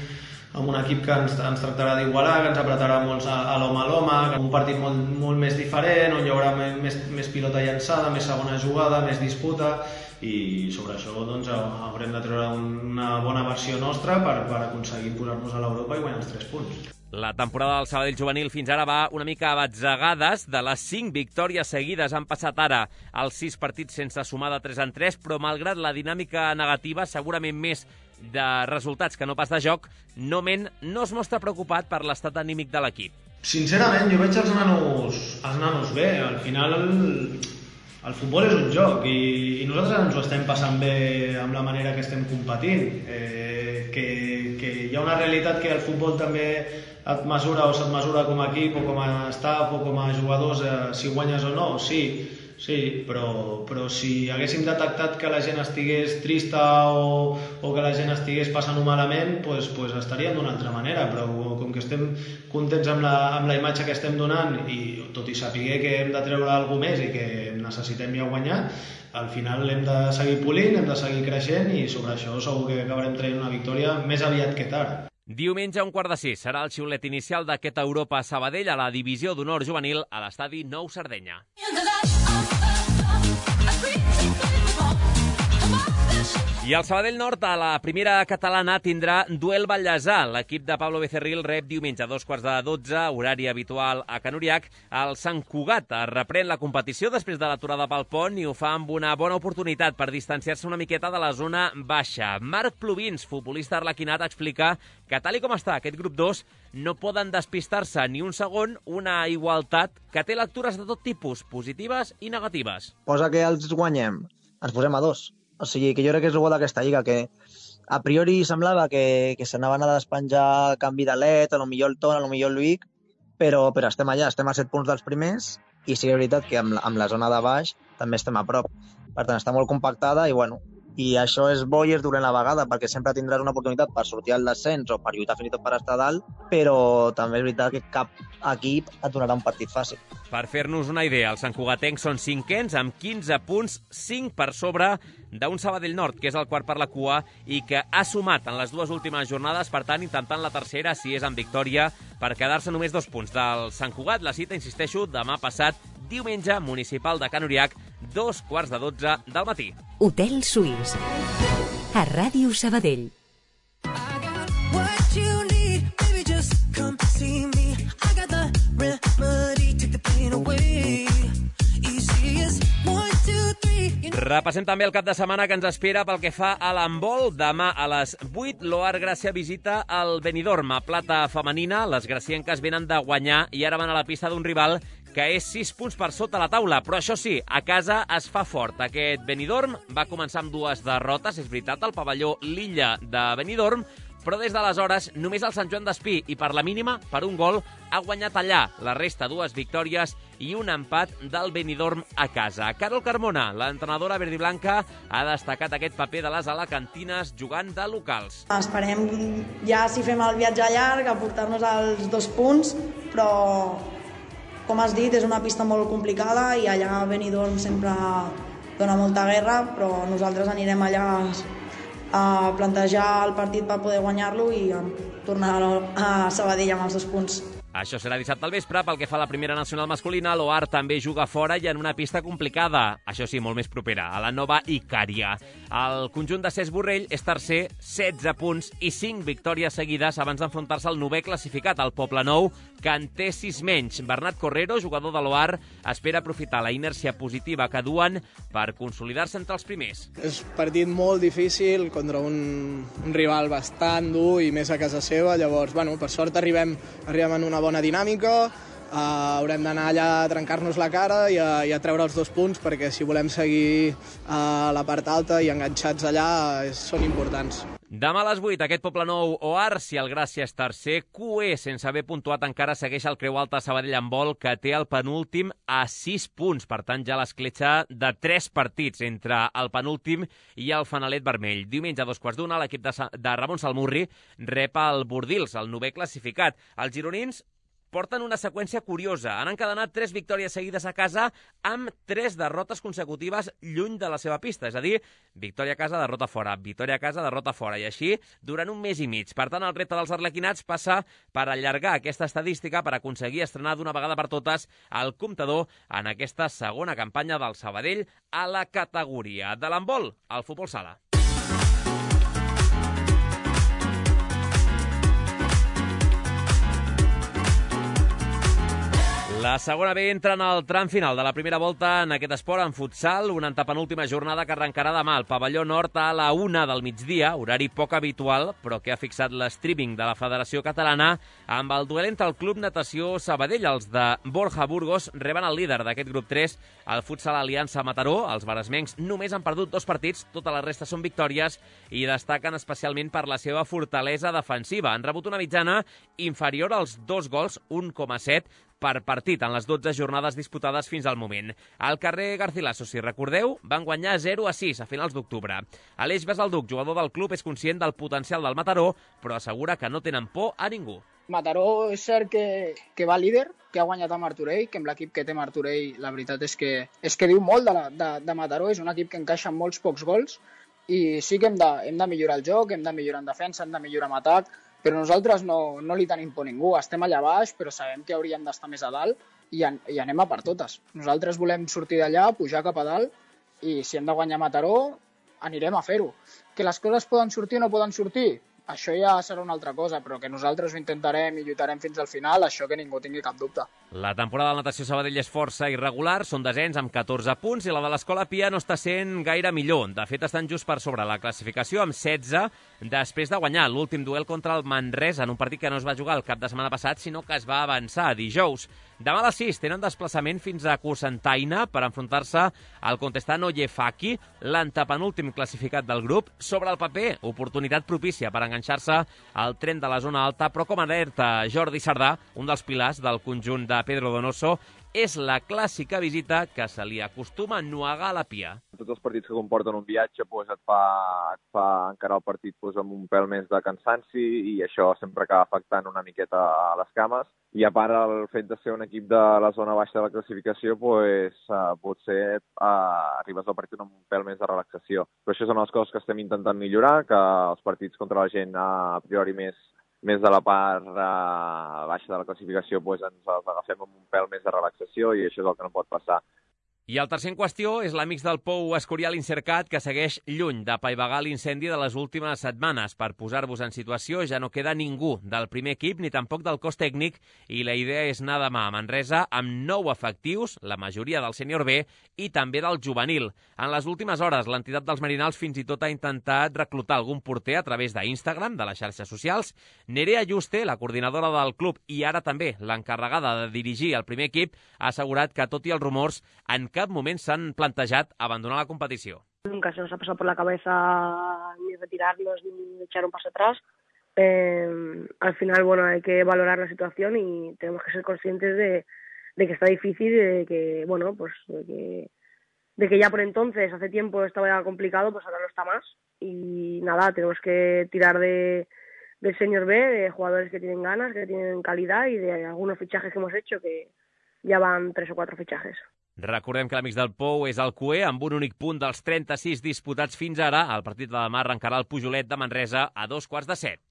amb un equip que ens, ens tractarà d'igualar, que ens apretarà molt a, a l'home a l'home, un partit molt, molt més diferent, on hi haurà més, més pilota llançada, més segona jugada, més disputa, i sobre això doncs, haurem de treure una bona versió nostra per, per aconseguir posar-nos a l'Europa i guanyar els tres punts. La temporada del Sabadell juvenil fins ara va una mica a batzegades. De les cinc victòries seguides han passat ara els sis partits sense sumar de tres en tres, però malgrat la dinàmica negativa, segurament més de resultats que no pas de joc, Nomen no es mostra preocupat per l'estat anímic de l'equip. Sincerament, jo veig els nanos, els nanos bé. Al final el, el futbol és un joc i, i nosaltres ens ho estem passant bé amb la manera que estem competint. Eh, que, que hi ha una realitat que el futbol també et mesura o se't mesura com a equip o com a staff o com a jugadors, eh, si guanyes o no, sí, sí, però, però si haguéssim detectat que la gent estigués trista o, o que la gent estigués passant-ho malament, pues, pues estaríem d'una altra manera, però com que estem contents amb la, amb la imatge que estem donant i tot i saber que hem de treure alguna més i que necessitem ja guanyar, al final hem de seguir polint, hem de seguir creixent i sobre això segur que acabarem traient una victòria més aviat que tard. Diumenge a un quart de sis serà el xiulet inicial d'aquest Europa Sabadell a la divisió d'honor juvenil a l'estadi Nou Sardenya. I el Sabadell Nord a la primera catalana tindrà duel Vallèsà. L'equip de Pablo Becerril rep diumenge a dos quarts de dotze, horari habitual a Can Uriach. El Sant Cugat reprèn la competició després de l'aturada pel pont i ho fa amb una bona oportunitat per distanciar-se una miqueta de la zona baixa. Marc Plovins, futbolista arlequinat, explica que tal i com està aquest grup dos no poden despistar-se ni un segon, una igualtat que té lectures de tot tipus, positives i negatives. Posa que els guanyem, ens posem a dos. O sigui, que jo crec que és el bo d'aquesta lliga, que a priori semblava que, que s'anaven a despenjar canvi de l'Et, a lo millor el Ton, a lo millor el Luic, però, però estem allà, estem a set punts dels primers, i sí que és veritat que amb, amb la zona de baix també estem a prop. Per tant, està molt compactada i, bueno, i això és bo i és dolent a la vegada, perquè sempre tindràs una oportunitat per sortir al descens o per lluitar fins i tot per estar dalt, però també és veritat que cap equip et donarà un partit fàcil. Per fer-nos una idea, els santcugatencs són cinquens amb quinze punts, cinc per sobre d'un Sabadell Nord, que és el quart per la cua i que ha sumat en les dues últimes jornades, per tant, intentant la tercera, si és en victòria, per quedar-se només dos punts del Sant Cugat. La cita, insisteixo, demà passat, diumenge, municipal de Can Uriach, dos quarts de dotze del matí. Hotel Suís, a Ràdio Sabadell. Repassem també el cap de setmana que ens espera pel que fa a l'handbol. Demà a les vuit, l'Oar Gràcia visita el Benidorm. A plata femenina, les gracienques venen de guanyar i ara van a la pista d'un rival que és sis punts per sota la taula. Però això sí, a casa es fa fort. Aquest Benidorm va començar amb dues derrotes, és veritat, al pavelló L'Illa de Benidorm, però des d'aleshores només el Sant Joan d'Espí i per la mínima, per un gol, ha guanyat allà. La resta, dues victòries i un empat del Benidorm a casa. Carol Carmona, l'entrenadora verdiblanca, ha destacat aquest paper de les alacantines jugant de locals. Esperem ja, si fem el viatge llarg, a portar-nos els dos punts, però, com has dit, és una pista molt complicada i allà a Benidorm sempre dona molta guerra, però nosaltres anirem allà a plantejar el partit per poder guanyar-lo i a tornar a Sabadell amb els dos punts. Això serà dissabte al vespre. Pel que fa a la primera nacional masculina, l'Oar també juga fora i en una pista complicada, això sí, molt més propera, a la nova Icària. El conjunt de Cesc Borrell és tercer, setze punts i cinc victòries seguides abans d'enfrontar-se al novè classificat, el Poblenou, que en té sis menys. Bernat Correro, jugador de l'Oar, espera aprofitar la inèrcia positiva que duen per consolidar-se entre els primers. És un partit molt difícil contra un, un rival bastant dur i més a casa seva, llavors, bueno, per sort arribem, arribem en una bona dinàmica, uh, haurem d'anar allà a trencar-nos la cara i a, i a treure els dos punts, perquè si volem seguir a uh, la part alta i enganxats allà uh, són importants. Demà a les vuit, aquest Poblenou o Ars, si el Gràcia és tercer, Q E, sense haver puntuat encara, segueix el Creu Alta Sabadell Handbol, que té el penúltim a sis punts. Per tant, ja l'escletxa de tres partits entre el penúltim i el Fanalet Vermell. Diumenge a dos quarts d'una, l'equip de, de Ramon Salmurri rep el Bordils, el novè classificat. Els gironins porten una seqüència curiosa. Han encadenat tres victòries seguides a casa amb tres derrotes consecutives lluny de la seva pista. És a dir, victòria a casa, derrota fora, victòria a casa, derrota fora. I així durant un mes i mig. Per tant, el repte dels arlequinats passa per allargar aquesta estadística per aconseguir estrenar d'una vegada per totes el comptador en aquesta segona campanya del Sabadell a la categoria de l'handbol, al futbol sala. La segona B entra en el tram final de la primera volta en aquest esport, en futsal, una antepenúltima jornada que arrencarà demà al pavelló nord a la una del migdia, horari poc habitual, però que ha fixat l'streaming de la Federació Catalana amb el duel entre el Club Natació Sabadell. Els de Borja Burgos reben el líder d'aquest grup tres, el futsal Aliança Mataró. Els maresmencs només han perdut dos partits, tota la resta són victòries i destaquen especialment per la seva fortalesa defensiva. Han rebut una mitjana inferior als dos gols, un coma set, per partit en les dotze jornades disputades fins al moment. Al carrer Garcilaso, si recordeu, van guanyar zero a sis a finals d'octubre. Aleix Basalduc, jugador del club, és conscient del potencial del Mataró, però assegura que no tenen por a ningú. Mataró és cert que, que va líder, que ha guanyat a Martorell, que amb l'equip que té Martorell la veritat és que, és que diu molt de, la, de, de Mataró, és un equip que encaixa molts pocs gols i sí que hem de, hem de millorar el joc, hem de millorar en defensa, hem de millorar en atac, però nosaltres no, no li tenim por a ningú. Estem allà baix, però sabem que hauríem d'estar més a dalt i, an, i anem a per totes. Nosaltres volem sortir d'allà, pujar cap a dalt i si hem de guanyar Mataró, anirem a fer-ho. Que les coses poden sortir o no poden sortir, això ja serà una altra cosa, però que nosaltres ho intentarem i lluitarem fins al final, això que ningú tingui cap dubte. La temporada de natació Sabadell és força irregular, són desens amb catorze punts i la de l'Escola Pia no està sent gaire millor. De fet, estan just per sobre la classificació amb setze, després de guanyar l'últim duel contra el Manresa en un partit que no es va jugar el cap de setmana passat, sinó que es va avançar a dijous. Demà a les sis tenen desplaçament fins a Cocentaina per enfrontar-se al Contestano Yefaki, l'antepenúltim classificat del grup. Sobre el paper, oportunitat propícia per enganxar-se al tren de la zona alta, però com alerta Jordi Sardà, un dels pilars del conjunt de Pedro Donoso, és la clàssica visita que se li acostuma a ennuegar a la Pia. Tots els partits que comporten un viatge pues, et, fa, et fa encarar el partit pues, amb un pèl més de cansanci i això sempre acaba afectant una miqueta a les cames. I a part, el fet de ser un equip de la zona baixa de la classificació, pues, uh, potser uh, arribes al partit amb un pèl més de relaxació. Però això són les coses que estem intentant millorar, que els partits contra la gent uh, a priori més més de la part uh, baixa de la classificació pues, ens els agafem amb un pèl més de relaxació i això és el que no pot passar. I el tercer en qüestió és l'Amics del Pou Escorial Incercat, que segueix lluny d'apaivagar l'incendi de les últimes setmanes. Per posar-vos en situació, ja no queda ningú del primer equip ni tampoc del cos tècnic i la idea és anar demà a Manresa amb nou efectius, la majoria del sènior B i també del juvenil. En les últimes hores, l'entitat dels Marinals fins i tot ha intentat reclutar algun porter a través d'Instagram, de les xarxes socials. Nerea Juste, la coordinadora del club i ara també l'encarregada de dirigir el primer equip, ha assegurat que, tot i els rumors, en cap moment s'han plantejat abandonar la competició. Nunca se nos ha pasado por la cabeza ni retirarnos ni echar un paso atrás. Eh, al final, bueno, hay que valorar la situación y tenemos que ser conscientes de, de que está difícil y de que, bueno, pues de que, de que ya por entonces, hace tiempo estaba complicado, pues ahora no está más. Y nada, tenemos que tirar de, del senior B, de jugadores que tienen ganas, que tienen calidad y de algunos fichajes que hemos hecho, que ja van tres o quatre fitxajes. Recordem que l'Amics del Pou és el Q E amb un únic punt dels trenta-sis disputats fins ara. El partit de demà arrencarà el Pujolet de Manresa a dos quarts de set.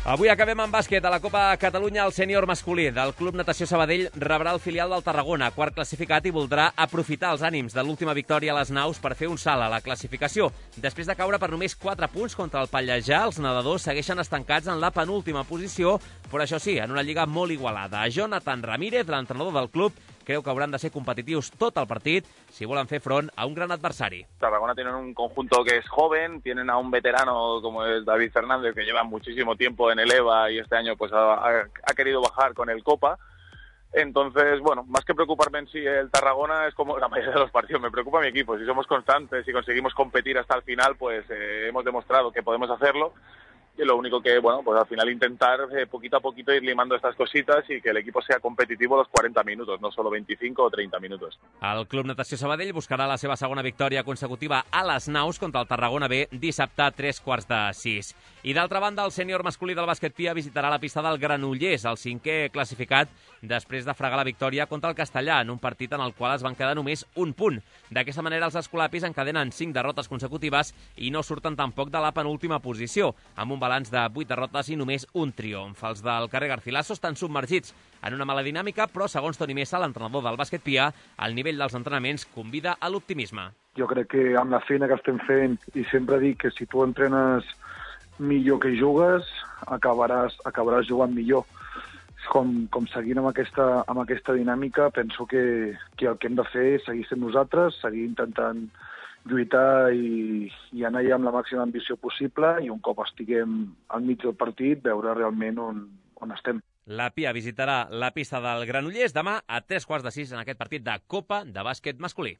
Avui acabem amb bàsquet. A la Copa Catalunya, el sènior masculí del Club Natació Sabadell rebrà el filial del Tarragona, quart classificat, i voldrà aprofitar els ànims de l'última victòria a les naus per fer un salt a la classificació. Després de caure per només quatre punts contra el Pallejà, els nedadors segueixen estancats en la penúltima posició, però això sí, en una lliga molt igualada. Jonathan Ramírez, l'entrenador del club, creu que hauran de ser competitius tot el partit si volen fer front a un gran adversari. Tarragona tienen un conjunto que es joven, tienen a un veterano como es David Fernández, que lleva muchísimo tiempo en el E V A y este año pues ha, ha querido bajar con el Copa. Entonces, bueno, más que preocuparme en sí el Tarragona, es como la mayoría de los partidos, me preocupa mi equipo. Si somos constantes y conseguimos competir hasta el final, pues eh, hemos demostrado que podemos hacerlo. Y lo único que, bueno, pues al final intentar eh, poquito a poquito ir limando estas cositas y que el equipo sea competitivo los cuarenta minutos, no solo veinticinco o treinta minutos. El Club Natació Sabadell buscarà la seva segona victòria consecutiva a les Naus contra el Tarragona B dissabte a tres quarts de sis. I d'altra banda, el sènior masculí del bàsquet Pia visitarà la pista del Granollers, el cinquè classificat, després de fregar la victòria contra el Castellà, en un partit en el qual es van quedar només un punt. D'aquesta manera, els escolapis encadenen cinc derrotes consecutives i no surten tampoc de la penúltima posició, amb un balanç de vuit derrotes i només un triomf. Els del carrer Garcilaso estan submergits en una mala dinàmica, però segons Toni Mesa, l'entrenador del bàsquet Pia, el nivell dels entrenaments convida a l'optimisme. Jo crec que amb la feina que estem fent, i sempre dic que si tu entrenes millor que jugues, acabaràs, acabaràs jugant millor. Com, com seguint amb aquesta, amb aquesta dinàmica, penso que, que el que hem de fer és seguir sent nosaltres, seguir intentant lluitar i, i anar allà amb la màxima ambició possible i un cop estiguem al mig del partit veure realment on, on estem. La Pia visitarà la pista del Granollers demà a tres quarts de sis en aquest partit de Copa de bàsquet masculí.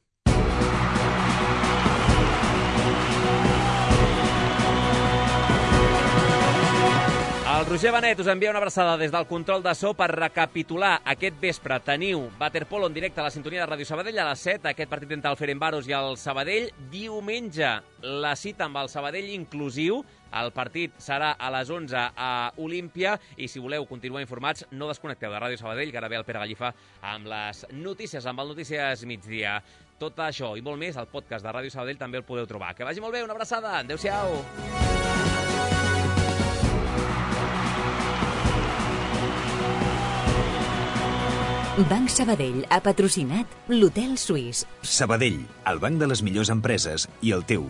El Roger Benet us envia una abraçada des del control de so per recapitular aquest vespre. Teniu waterpolo en directe a la sintonia de Ràdio Sabadell a les set, aquest partit entre el Ferencváros i el Sabadell. Diumenge, la cita amb el Sabadell inclusiu. El partit serà a les onze a Olímpia i si voleu continuar informats, no desconnecteu de Ràdio Sabadell, que ara ve el Pere Gallifa amb les notícies, amb el Notícies Migdia. Tot això i molt més, al podcast de Ràdio Sabadell també el podeu trobar. Que vagi molt bé, una abraçada. Adéu-siau. Banc Sabadell ha patrocinat l'Hotel Suís. Sabadell, el banc de les millors empreses i el teu.